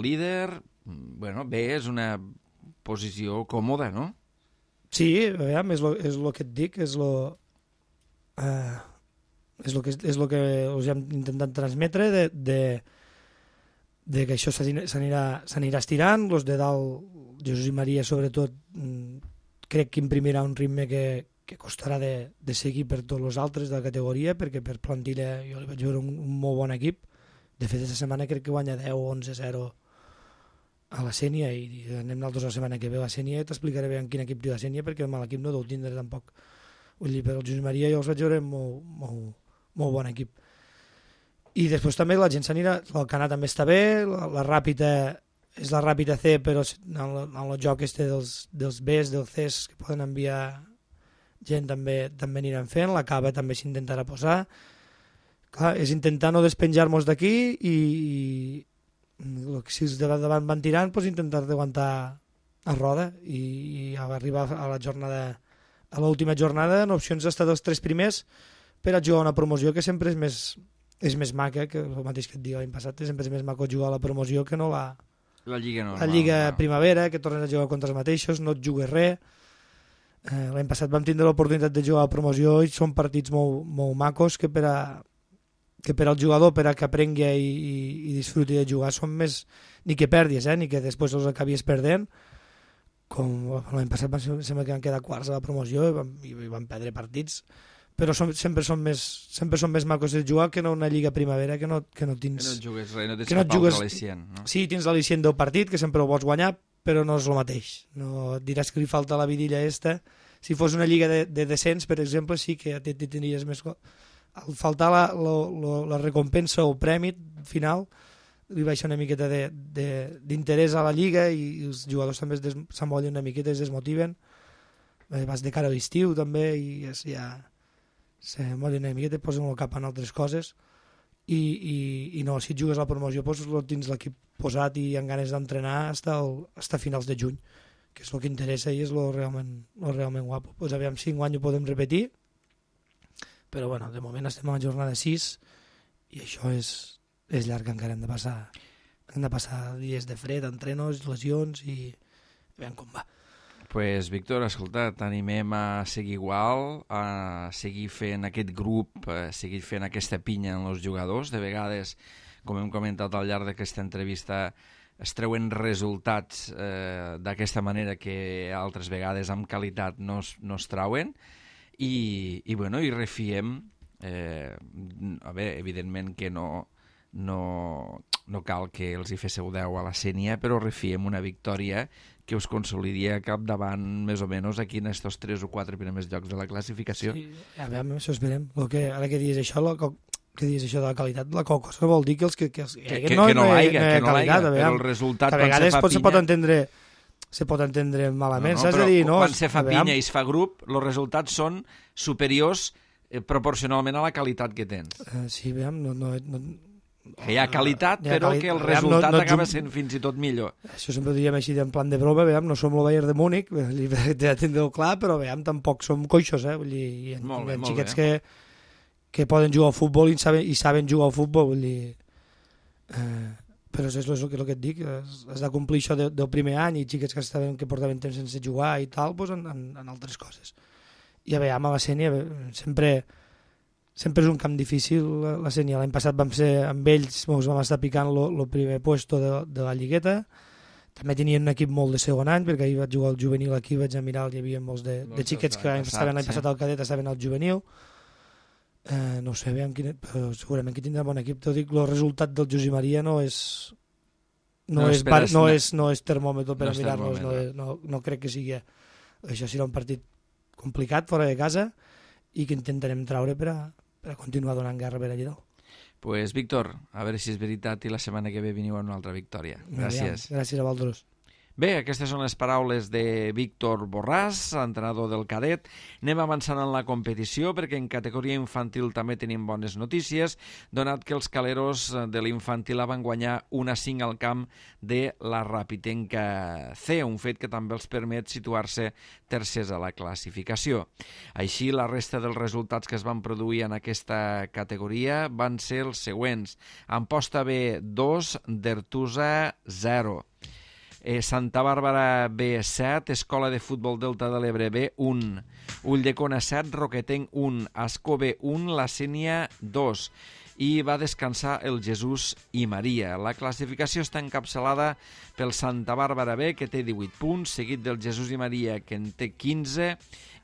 líder. Bueno, bé, és una posició còmoda, no?
Sí, aviam, és lo que et dic, és lo que us hem intentat transmetre de que això s'anirà estirant. Los de dalt, Jesús i Maria sobretot, crec que imprimirà un ritme que costarà de seguir per tots els altres de la categoria, perquè per plantilla jo li vaig veure un molt bon equip. De fet, aquesta setmana crec que guanya 10 o 11-0 a la Sènia, i anem nosaltres la setmana que ve a la Sènia i t'explicaré bé en quin equip té la Sènia, perquè el mal equip no deu tindre tampoc. Vull dir, per el Jesús Maria jo els vaig veure molt bon equip. I després també la gent s'anirà, el Canà també està bé, la Ràpita és la Ràpita C, però en el joc dels Bs, dels Cs, que poden enviar gent, també aniran fent. La Cava també s'intentarà posar. Clar, és intentar no despenjar-nos d'aquí i si els de davant van tirant, doncs intentar d'aguantar a roda i arribar a la jornada, a l'última jornada, en opcions d'estar dels 3 primers per a jugar una promoció que sempre és més maca, que el mateix que et dic l'any passat, sempre és més maco jugar a la promoció que no la
Lliga normal.
La Lliga Primavera, que tornes a jugar contra els mateixos, no et jugues res. L'any passat vam tindre l'oportunitat de jugar a la promoció i són partits molt macos que per al jugador, per a que aprengui i disfruti de jugar, són més ni que perdis, ni que després els acabis perdent, com l'any passat sembla que van quedar quarts a la promoció i van perdre partits, però sempre són més macos de jugar que no una Lliga Primavera que no tens...
Que no et jugues res, no tens cap altre al·licient. No?
Sí, tens l'al·licient del partit, que sempre ho vols guanyar, però no és el mateix. No et diràs que li falta la vidilla esta. Si fos una lliga de descens, per exemple, sí que tindries més... Al faltar la recompensa o premi final, li baixa una miqueta d'interès a la lliga i els jugadors també s'amollen una miqueta, es desmotiven. Vas de cara a l'estiu també i ja s'amollen una miqueta, posen el cap en altres coses i no, si et jugues a la promoció doncs tens l'equip posat i amb ganes d'entrenar fins a finals de juny, que és el que interessa i és el realment guapo. Pues aviam si enguany ho podem repetir, però bueno, de moment estem a la jornada 6 i això és llarg, encara hem de passar dies de fred, entrenos, lesions i veiem com va.
Pues, Víctor, escolta, t'animem a seguir igual, a seguir fent aquest grup, a seguir fent aquesta pinya en els jugadors. De vegades, com hem comentat al llarg d'aquesta entrevista, es treuen resultats d'aquesta manera que altres vegades amb qualitat no es trauen i refiem. A veure, evidentment que no cal que els hi féssiu 10 a la Sènia, però refiem una victòria que us consolidaria capdavant més o menys aquí en estos 3 o 4 primers llocs de la classificació.
Sí, a veure, això esperem. Ara que dius això, de la qualitat, la cosa vol dir que
no l'haiga, però el resultat quan se fa pinya...
Se pot entendre malament, saps? Però
quan se fa pinya i es fa grup, els resultats són superiors proporcionalment a la qualitat que tens.
Sí, veiem,
que hi ha qualitat, però que el resultat acaba sent fins i tot millor.
Això sempre ho diríem així en plan de broma, veiem, no som el Bayern de Múnich, ja tindreu clar, però veiem, tampoc som coixos, vull dir, hi ha xiquets que poden jugar al futbol i saben jugar al futbol, vull dir... Però és el que et dic, has de complir això del primer any i xiquets que portaven temps sense jugar i tal, doncs en altres coses. I a veure, a la Sènia sempre és un camp difícil, la Sènia. L'any passat vam ser amb ells, ens vam estar picant el primer puesto de la lligueta. També tenien un equip molt de segon any, perquè ahir vaig jugar al juvenil aquí, vaig a mirar, hi havia molts de xiquets que estaven l'any passat al cadet, estaven al juvenil. No sé, però segurament que tindrà bon equip. T'ho dic, el resultat del José Maria no és termòmetre per a mirar-nos, no crec que sigui. Això serà un partit complicat fora de casa i que intentarem traure per a continuar donant guerra per allà dalt.
Pues, Víctor, a veure si és veritat i la setmana que ve veniu amb una altra victòria. Gràcies.
Gràcies a vosaltres.
Bé, aquestes són les paraules de Víctor Borràs, entrenador del cadet. Anem avançant en la competició perquè en categoria infantil també tenim bones notícies, donat que els caleros de l'infantil van guanyar 1-5 al camp de la Rapitenca C, un fet que també els permet situar-se tercers a la classificació. Així, la resta dels resultats que es van produir en aquesta categoria van ser els següents. Amposta B 2, Dertusa 0. Santa Bàrbara B 7, Escola de Futbol Delta de l'Ebre B 1, Ulldecona 7, Roquetenc 1, Ascó B 1, La Sénia 2, i va descansar el Jesús i Maria. La classificació està encapçalada pel Santa Bàrbara B, que té 18 punts, seguit del Jesús i Maria, que en té 15,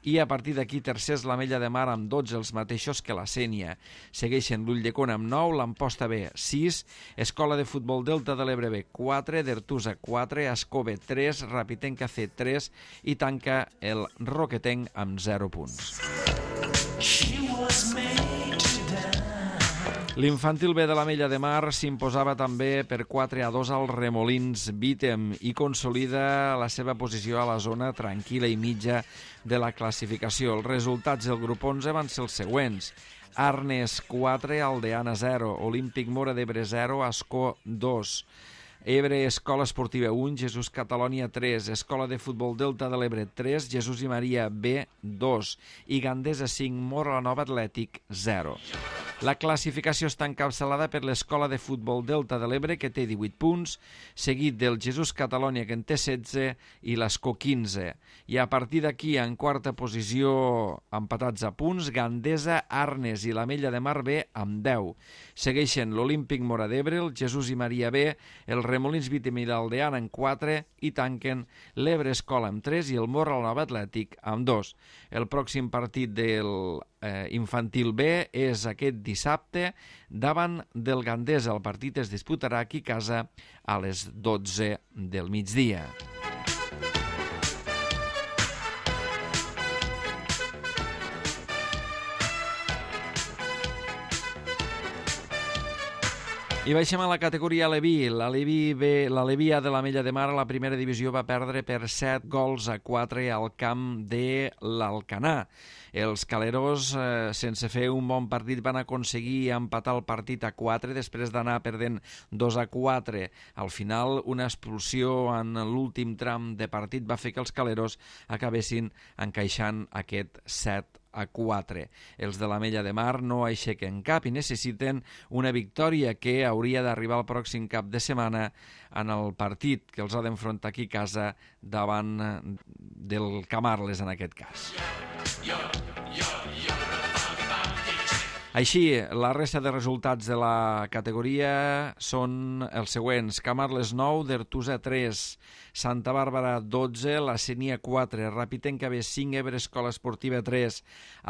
i a partir d'aquí tercers l'Ametlla de Mar amb 12, els mateixos que la Sénia. Segueixen l'Ulldecona amb 9, l'Amposta B 6, Escola de Futbol Delta de l'Ebre B 4, Dertusa 4, Ascó B 3, Rapitenca C 3 i tanca el Roquetenc amb 0 punts. L'infantil B de l'Ametlla de Mar s'imposava també per 4-2 al Remolins Bítem i consolida la seva posició a la zona tranquil·la i mitja de la classificació. Els resultats del grup 11 van ser els següents: Arnes 4, Aldeana 0, Olímpic Móra d'Ebre 0, Ascó 2, Ebre Escola Esportiva 1, Jesús Catalònia 3, Escola de Futbol Delta de l'Ebre 3, Jesús i Maria B 2 i Gandesa 5, Móra la Nova Atlètic 0. La classificació està encapçalada per l'Escola de Futbol Delta de l'Ebre, que té 18 punts, seguit del Jesús Catalònia, que en té 16, i l'Ascó 15. I a partir d'aquí, en quarta posició, empatats a punts, Gandesa, Arnes i l'Ametlla de Mar B amb 10. Segueixen l'Olímpic Móra d'Ebre, el Jesús i Maria B, el Remolins Bítem i l'Aldeana en 4 i tanquen l'Ebre Escola amb 3 i el Móra la Nova Atlètic amb 2. El pròxim partit del infantil B és aquest dissabte davant del Gandesa. El partit es disputarà aquí a casa a les 12 del migdia. I baixem a la categoria Aleví. L'Aleví A de l'Ametlla de Mar a la primera divisió va perdre per 7-4 al camp de l'Alcanar. Els caleros, sense fer un bon partit, van aconseguir empatar el partit a 4 després d'anar perdent 2-4. Al final, una expulsió en l'últim tram de partit va fer que els caleros acabessin encaixant aquest 7-4. Els de l'Ametlla de Mar no aixequen cap i necessiten una victòria que hauria d'arribar el pròxim cap de setmana en el partit que els ha d'enfrontar aquí a casa davant del Camarles, en aquest cas. Així, la resta de resultats de la categoria són els següents: Camarles 9, Dertusa 3, Santa Bàrbara 12, La Sénia 4, Rapitenca B 5, Ebre Escola Esportiva 3,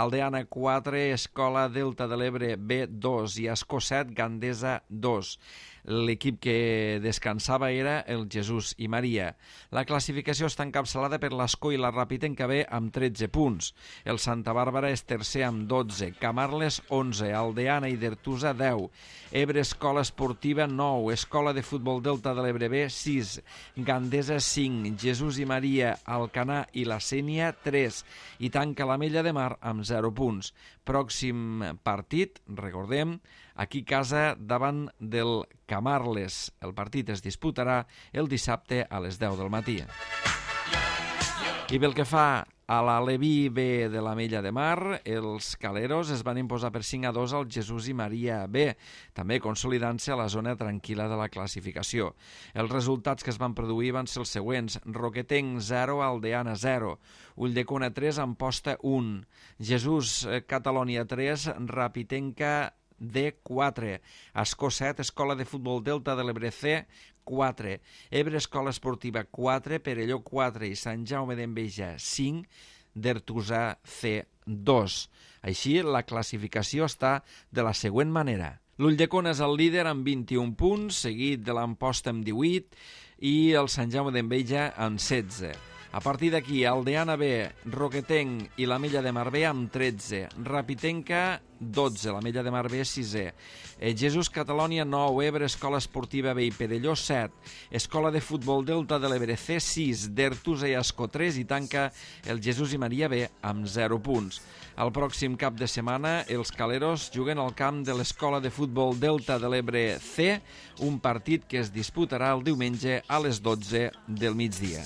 Aldeana 4, Escola Delta de l'Ebre B 2 i Ascó 7, Gandesa 2. L'equip que descansava era el Jesús i Maria. La classificació està encapçalada per l'Ascó i la Rapitenca B amb 13 punts. El Santa Bàrbara és tercer amb 12, Camarles 11, Aldeana i Dertusa 10, Ebre Escola Esportiva 9, Escola de Futbol Delta de l'Ebre B 6, Gandesa 5, Jesús i Maria, Alcanar i la Sénia 3 i tanca l'Ametlla de Mar amb 0 punts. Pròxim partit, recordem, aquí a casa davant del Camarles. El partit es disputarà el dissabte a les 10 del matí. I pel que fa a l'Aleví B de l'Ametlla de Mar, els caleros es van imposar per 5-2 al Jesús i Maria B, també consolidant-se a la zona tranquil·la de la classificació. Els resultats que es van produir van ser els següents: Roquetenc 0, Aldeana 0, Ulldecona 3, Amposta 1, Jesús Catalònia 3, Rapitenca D4, Ascó 7, Escola de Futbol Delta de l'Ebre C 4, Ebre Escola Esportiva 4, Perelló 4 i Sant Jaume d'Enveja 5, Dertusa C 2. Així, la classificació està de la següent manera. L'Ulldecona és el líder amb 21 punts, seguit de l'Amposta amb 18 i el Sant Jaume d'Enveja amb 16. A partir d'aquí, Aldeana B, Roquetenc i l'Ametlla de Mar B amb 13, Rapitenca 12, l'Ametlla de Mar B 6è, Jesús Catalònia 9, Ebre Escola Esportiva B i Perelló 7, Escola de Futbol Delta de l'Ebre C 6, Dertusa i Ascó 3 i tanca el Jesús i Maria B amb 0 punts. El pròxim cap de setmana els caleros juguen al camp de l'Escola de Futbol Delta de l'Ebre C, un partit que es disputarà el diumenge a les 12 del migdia.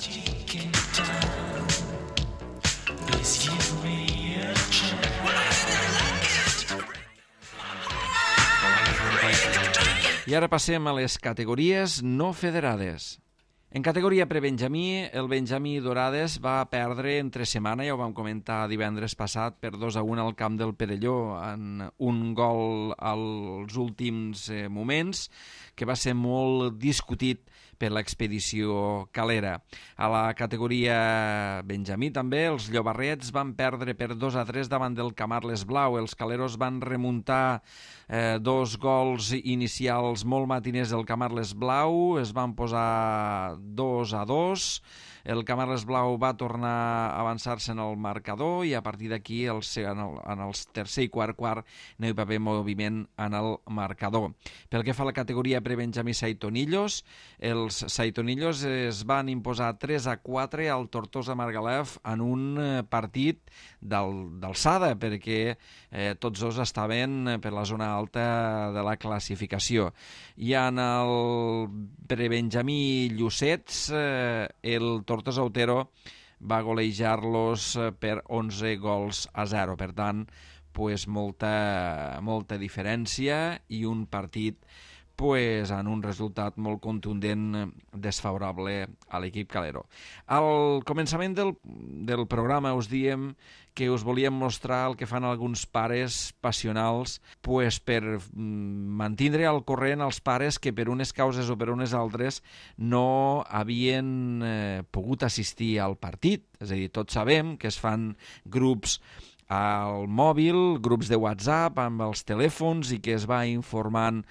I ara passem a les categories no federades. En categoria prebenjamí, el Benjamí Dorades va perdre entre setmana, ja ho vam comentar divendres passat, per 2-1 al camp del Perelló, en un gol als últims moments, que va ser molt discutit per l'expedició calera. A la categoria benjamí també, els llobarrets van perdre per 2-3 davant del Camarles Blau. Els caleros van remuntar 2 gols inicials molt matiners del Camarles Blau, es van posar 2-2, el Camarles Blau va tornar a avançar-se en el marcador i a partir d'aquí en el tercer i quart no hi va haver moviment en el marcador. Pel que fa a la categoria prebenjamí Saitonillos, els Saitonillos es van imposar 3-4 al Tortosa Margalef en un partit d'alçada, perquè tots dos estaven per la zona alta de la classificació. I en el prebenjamí Llucets, el Tortosa Otero va golejar-los per 11-0. Per tant, molta diferència i un partit en un resultat molt contundent desfavorable a l'equip calero. Al començament del programa us diem que us volíem mostrar el que fan alguns pares passionals per mantindre al corrent els pares que per unes causes o per unes altres no havien pogut assistir al partit. És a dir, tots sabem que es fan grups al mòbil, grups de WhatsApp amb els telèfons i que es va informant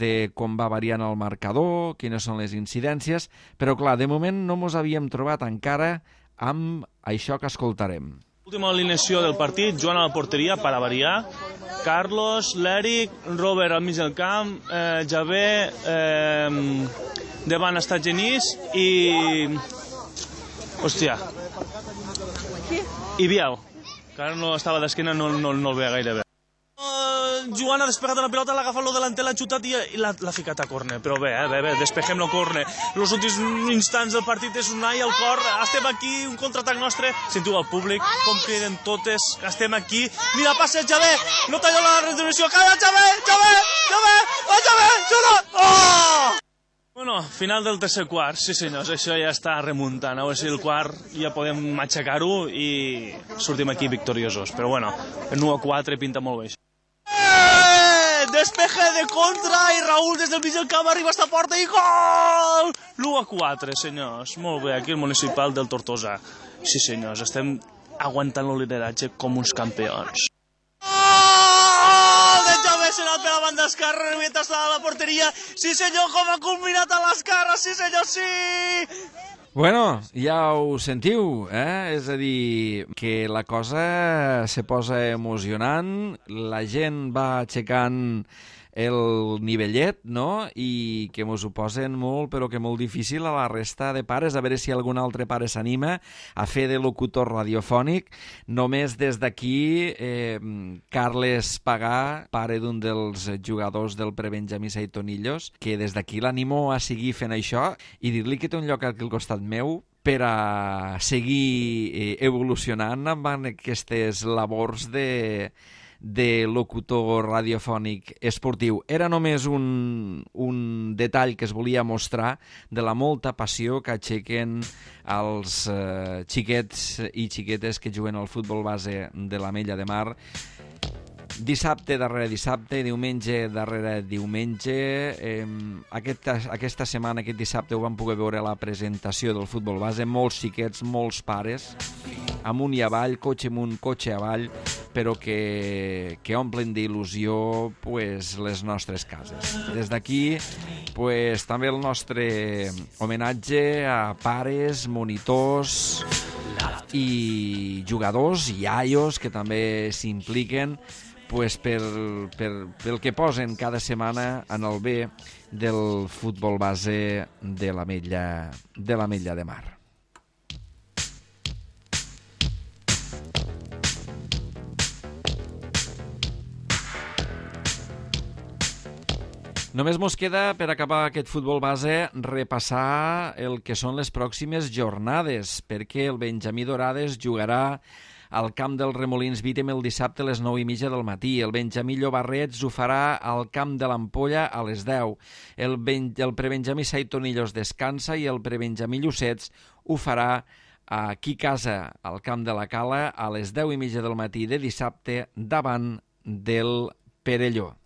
de com va variant el marcador, quines són les incidències, però clar, de moment no ens havíem trobat encara amb això que escoltarem.
Última alineació del partit, Joan a la porteria, per a variar, Carlos, l'Eric, Robert al mig del camp, Javé, davant està Genís i... Hòstia. I Biel, que ara no estava d'esquena, no el veia gaire bé. Joan ha despegat una pilota, l'ha agafat lo delanter, l'ha xutat i l'ha ficat a córner. Però bé, despejem lo córner. Els últims instants del partit és Unai al cor. Estem aquí, un contraatac nostre. Sentiu al públic, com criden totes. Estem aquí. Mira, passa el Javé. No talla la retribució. Calla, Javé! Xuta! Oh! Bueno, final del tercer quart. Sí, senyors, això ja està remuntant. A veure si el quart ja podem matxacar-ho i sortim aquí victoriosos. Però bueno, el 1-4 pinta molt bé. Despeje de contra i Raúl des del mig del camp arriba a esta porta i gol! L'1-4, senyors. Molt bé, aquí el municipal del Tortosa. Sí, senyors, estem aguantant el lideratge com uns campions. Gol de Javé Senat per la banda esquerra, remeta a la porteria. Sí, senyor, com ha culminat a l'esquerra, sí, senyor, sí!
Bueno, ja ho sentiu, És a dir, que la cosa se posa emocionant, la gent va aixecant el nivellet, no?, i que mos ho posen molt, però que molt difícil a la resta de pares, a veure si algun altre pare s'anima a fer de locutor radiofònic. Només des d'aquí, Carles Pagà, pare d'un dels jugadors del prebenjamí Saitonillos, que des d'aquí l'animo a seguir fent això i dir-li que té un lloc aquí al costat meu per a seguir evolucionant amb aquestes labors de locutor radiofònic esportiu. Era només un detall que es volia mostrar de la molta passió que aixequen els xiquets i xiquetes que juguen al futbol base de l'Ametlla de Mar. Dissabte darrere dissabte, diumenge darrere diumenge. Aquesta setmana, aquest dissabte, ho vam poder veure a la presentació del futbol base. Molts xiquets, molts pares, amunt i avall, cotxe amunt, cotxe avall, però que omplen d'il·lusió les nostres cases. Des d'aquí, també el nostre homenatge a pares, monitors i jugadors i iaios que també s'impliquen pel que posen cada setmana en el bé del futbol base de l'Ametlla de Mar. Només mos queda, per acabar aquest futbol base, repassar el que són les pròximes jornades, perquè el Benjamí Dorades jugarà al camp del Remolins Vítem el dissabte a les 9:30 del matí. El Benjamí Llobarrets ho farà al camp de l'Ampolla a les 10. El prebenjamí Saitonillos descansa i el prebenjamí Llucets ho farà aquí a casa, al camp de la Cala, a les 10:30 del matí de dissabte davant del Perelló.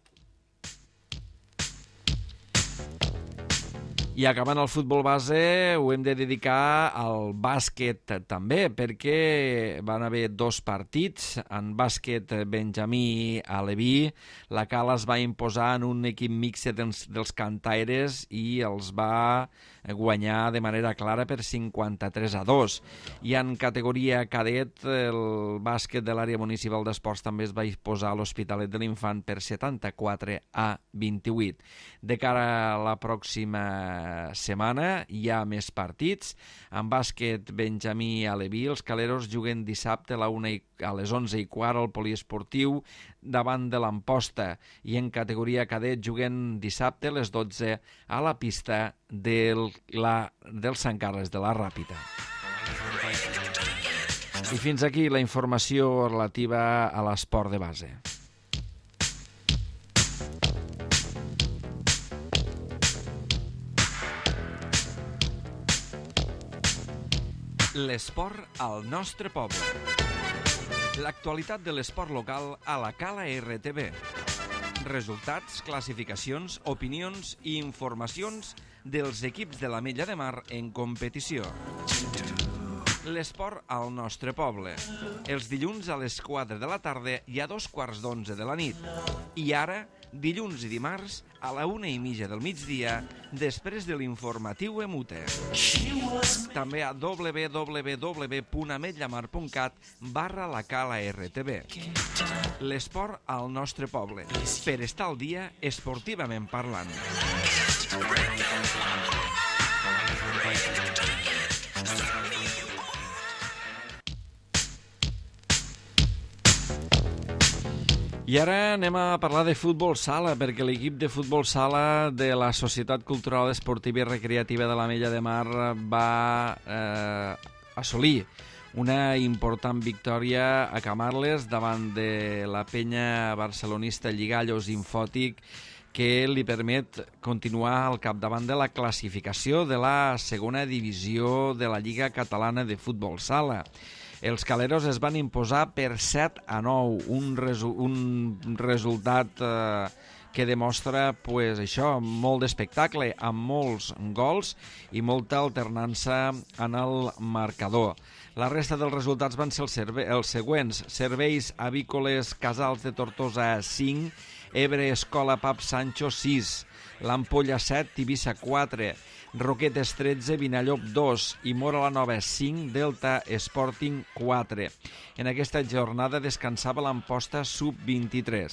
I acabant el futbol base ho hem de dedicar al bàsquet també, perquè van haver 2 partits. En bàsquet benjamí aleví, la Cala es va imposar en un equip mixte dels cantaires i els va guanyar de manera clara per 53-2. I en categoria cadet, el bàsquet de l'àrea municipal d'esports també es va imposar a l'Hospitalet de l'Infant per 74-28. De cara a la pròxima setmana hi ha més partits. En bàsquet benjamí aleví, els caleros juguen dissabte a les 11:15 al poliesportiu davant de l'Amposta, i en categoria cadet juguen dissabte a les 12 a la pista del Sant Carles de la Ràpita. I fins aquí la informació relativa a l'esport de base. L'esport al nostre poble. L'actualitat de l'esport local a la Cala RTV. Resultats, classificacions, opinions i informacions dels equips de l'Ametlla de Mar en competició. L'esport al nostre poble. Els dilluns a les 4 de la tarda i a 2:15 de la nit. I ara, dilluns i dimarts a la 1:30 del migdia, després de l'informatiu Emute. També a www.ametllamar.cat/la Cala RTV. L'esport al nostre poble, per estar al dia esportivament parlant. I ara anem a parlar de futbol sala, perquè l'equip de futbol sala de la Societat Cultural Esportiva i Recreativa de l'Ametlla de Mar va assolir una important victòria a Camarles davant de la penya barcelonista Lligallos Infòtic, que li permet continuar al capdavant de la classificació de la segona divisió de la Lliga Catalana de Futbol Sala. Els caleros es van imposar per 7-9, un resultat que demostra molt d'espectacle, amb molts gols i molta alternança en el marcador. La resta dels resultats van ser els següents: Serveis Avícoles Casals de Tortosa 5, Ebre Escola Pap Sancho 6, l'Ampolla 7, Tivissa 4, Roquetes 13, Vinallop 2 i Mora la Nova 5, Delta Sporting 4. En aquesta jornada descansava l'Amposta sub-23.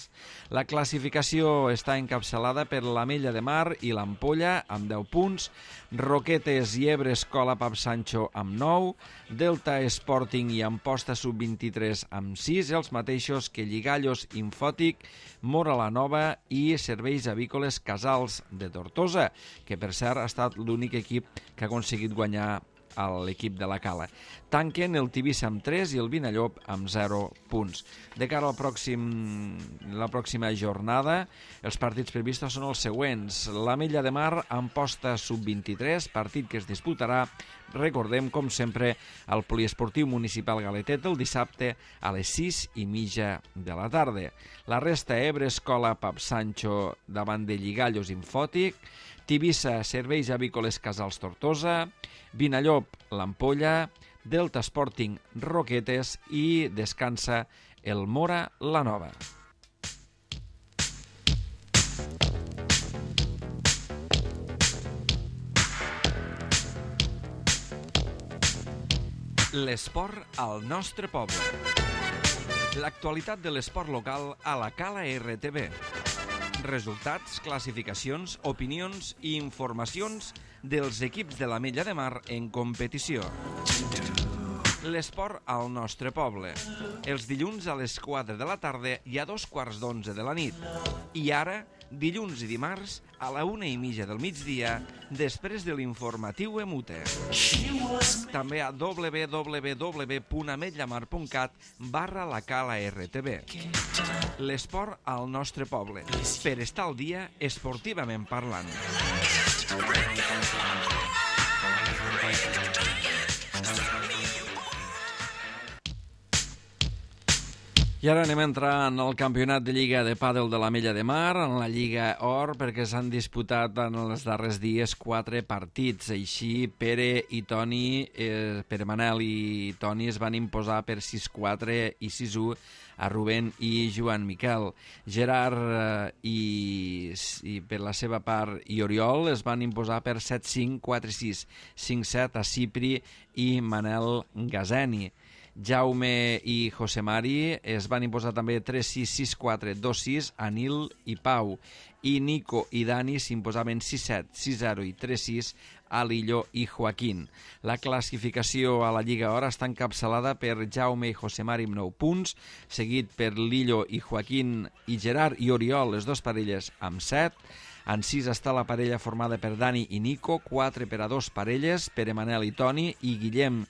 La classificació està encapçalada per l'Ametlla de Mar i l'Ampolla amb 10 punts, Roquetes i Ebre Escola Pap Sancho amb 9, Delta Sporting i Amposta sub-23 amb 6, els mateixos que Lligallos Infòtic, Mora la Nova i Serveis Avícoles Casals de Tortosa, que per cert ha estat l'únic equip que ha aconseguit guanyar a l'equip de la Cala. Tanquen el Tivissa amb 3 i el Vinallop amb 0 punts. De cara a la pròxima jornada, els partits previstos són els següents. L'Ametlla de Mar, Amposta sub-23, partit que es disputarà, recordem, com sempre, al Poliesportiu Municipal Galetet el dissabte a les 6:30 de la tarda. La resta, Ebre Escola Pap Sancho davant de Lligallos Infòtic, Tivissa, Serveis Avícoles Casals Tortosa, Vinallop, l'Ampolla, Delta Sporting, Roquetes i descansa el Mora la Nova. L'esport al nostre poble. L'actualitat de l'esport local a la Cala RTV. Resultats, classificacions, opinions i informacions dels equips de l'Ametlla de Mar en competició. L'esport al nostre poble. Els dilluns a les 4 de la tarda i a 2:15 de la nit. I ara, dilluns i dimarts a la 1:30 del migdia, després de l'informatiu Emute. També a www.ametlllamar.cat/la-cala-rtb. L'esport al nostre poble, per estar al dia esportivament parlant. I ara anem a entrar en el campionat de Lliga de Pàdel de l'Ametlla de Mar, en la Lliga Or, perquè s'han disputat en els darrers dies 4 partits. Així, Pere Manel i Toni es van imposar per 6-4 i 6-1 a Rubén i Joan Miquel. Gerard i per la seva part i Oriol es van imposar per 7-5, 4-6, 5-7 a Cipri i Manel Gazeni. Jaume i José Mari es van imposar també 3-6, 6-4, 2-6 a Nil i Pau. I Nico i Dani s'imposaven 6-7, 6-0 i 3-6 a Lillo i Joaquín. La classificació a la Lliga Or està encapçalada per Jaume i José Mari amb 9 punts, seguit per Lillo i Joaquín i Gerard i Oriol, les dues parelles, amb 7. En 6 està la parella formada per Dani i Nico, 4 per a 2 parelles, Pere Manel i Toni, i Guillem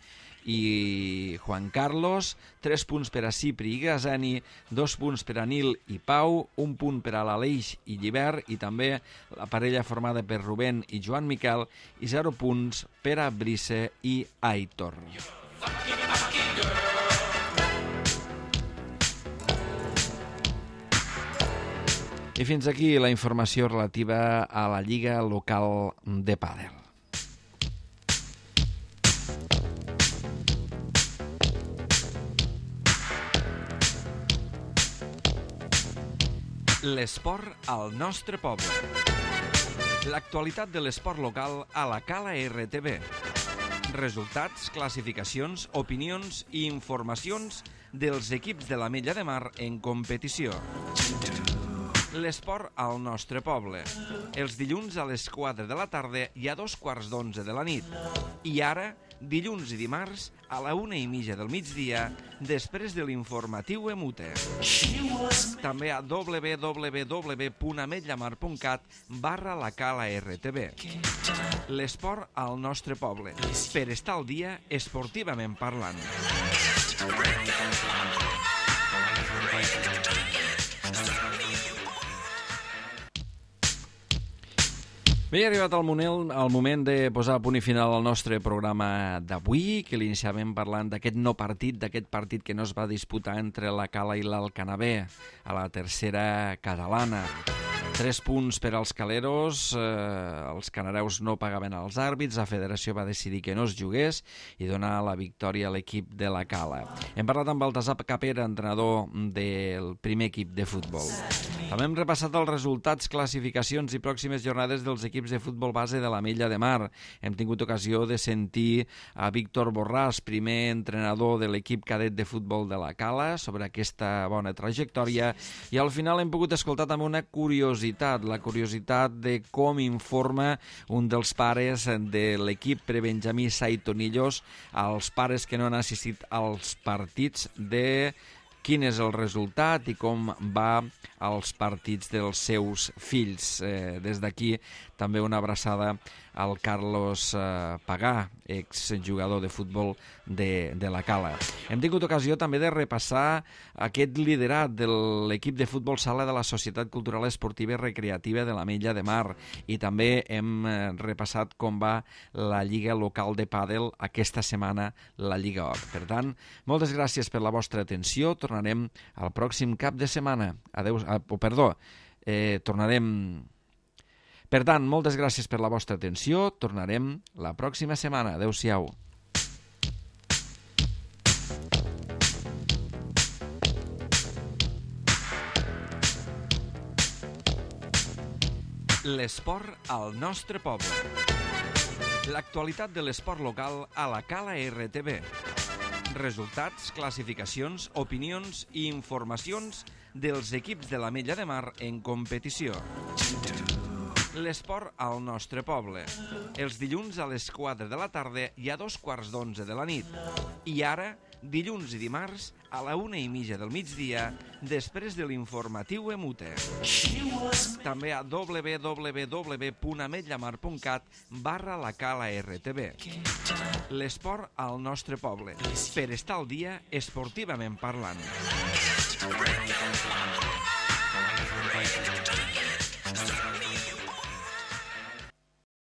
i Juan Carlos, 3 punts per a Cipri i Gazeni, 2 punts per a Nil i Pau, 1 punt per a l'Aleix i Llibert, i també la parella formada per Rubén i Joan Miquel, i 0 punts per a Brice i Aitor. I fins aquí la informació relativa a la Lliga Local de Pàdel. L'esport al nostre poble. L'actualitat de l'esport local a la Cala RTV. Resultats, classificacions, opinions i informacions dels equips de l'Ametlla de Mar en competició. L'esport al nostre poble. Els dilluns a les 4 de la tarda i a 2:15 de la nit. I ara, dilluns i dimarts a la 1:30 del migdia, després de l'informatiu Emute. També a www.ametlllamar.cat/la-cala-rtb. L'esport al nostre poble, per estar al dia esportivament parlant. Bé, ha arribat el moment de posar a punt i final al nostre programa d'avui, que l'iniciàvem parlant d'aquest no partit, d'aquest partit que no es va disputar entre la Cala i l'Alcanavè, a la tercera catalana. 3 punts per als caleros, els canareus no pagaven als àrbits, la federació va decidir que no es jugués i donar la victòria a l'equip de la Cala. Hem parlat amb Baltasar Capera, entrenador del primer equip de futbol. També hem repassat els resultats, classificacions i pròximes jornades dels equips de futbol base de l'Ametlla de Mar. Hem tingut ocasió de sentir a Víctor Borràs, primer entrenador de l'equip cadet de futbol de la Cala, sobre aquesta bona trajectòria, i al final hem pogut escoltar també una curiositat, la curiositat de com informa un dels pares de l'equip prebenjamí Saitonillos als pares que no han assistit als partits de quin és el resultat i com va als partits dels seus fills. Des d'aquí també una abraçada al Carlos Pagà, exjugador de futbol de la Cala. Hem tingut ocasió també de repassar aquest liderat de l'equip de futbol sala de la Societat Cultural Esportiva i Recreativa de l'Ametlla de Mar, i també hem repassat com va la Lliga Local de Pàdel aquesta setmana, la Lliga Or. Per tant, moltes gràcies per la vostra atenció. Tornarem al pròxim cap de setmana. Tornarem... Per tant, moltes gràcies per la vostra atenció. Tornarem la pròxima setmana. Adéu-siau. L'esport al nostre poble. L'actualitat de l'esport local a la Cala RTV. Resultats, classificacions, opinions i informacions dels equips de l'Ametlla de Mar en competició. L'esport al nostre poble. Els dilluns a les 4 de la tarda i a 2:15 de la nit. I ara, dilluns i dimarts a la 1:30 del migdia, després de l'informatiu Emute. També a www.ametllamar.cat/la Cala RTV. L'esport al nostre poble, per estar al dia esportivament parlant.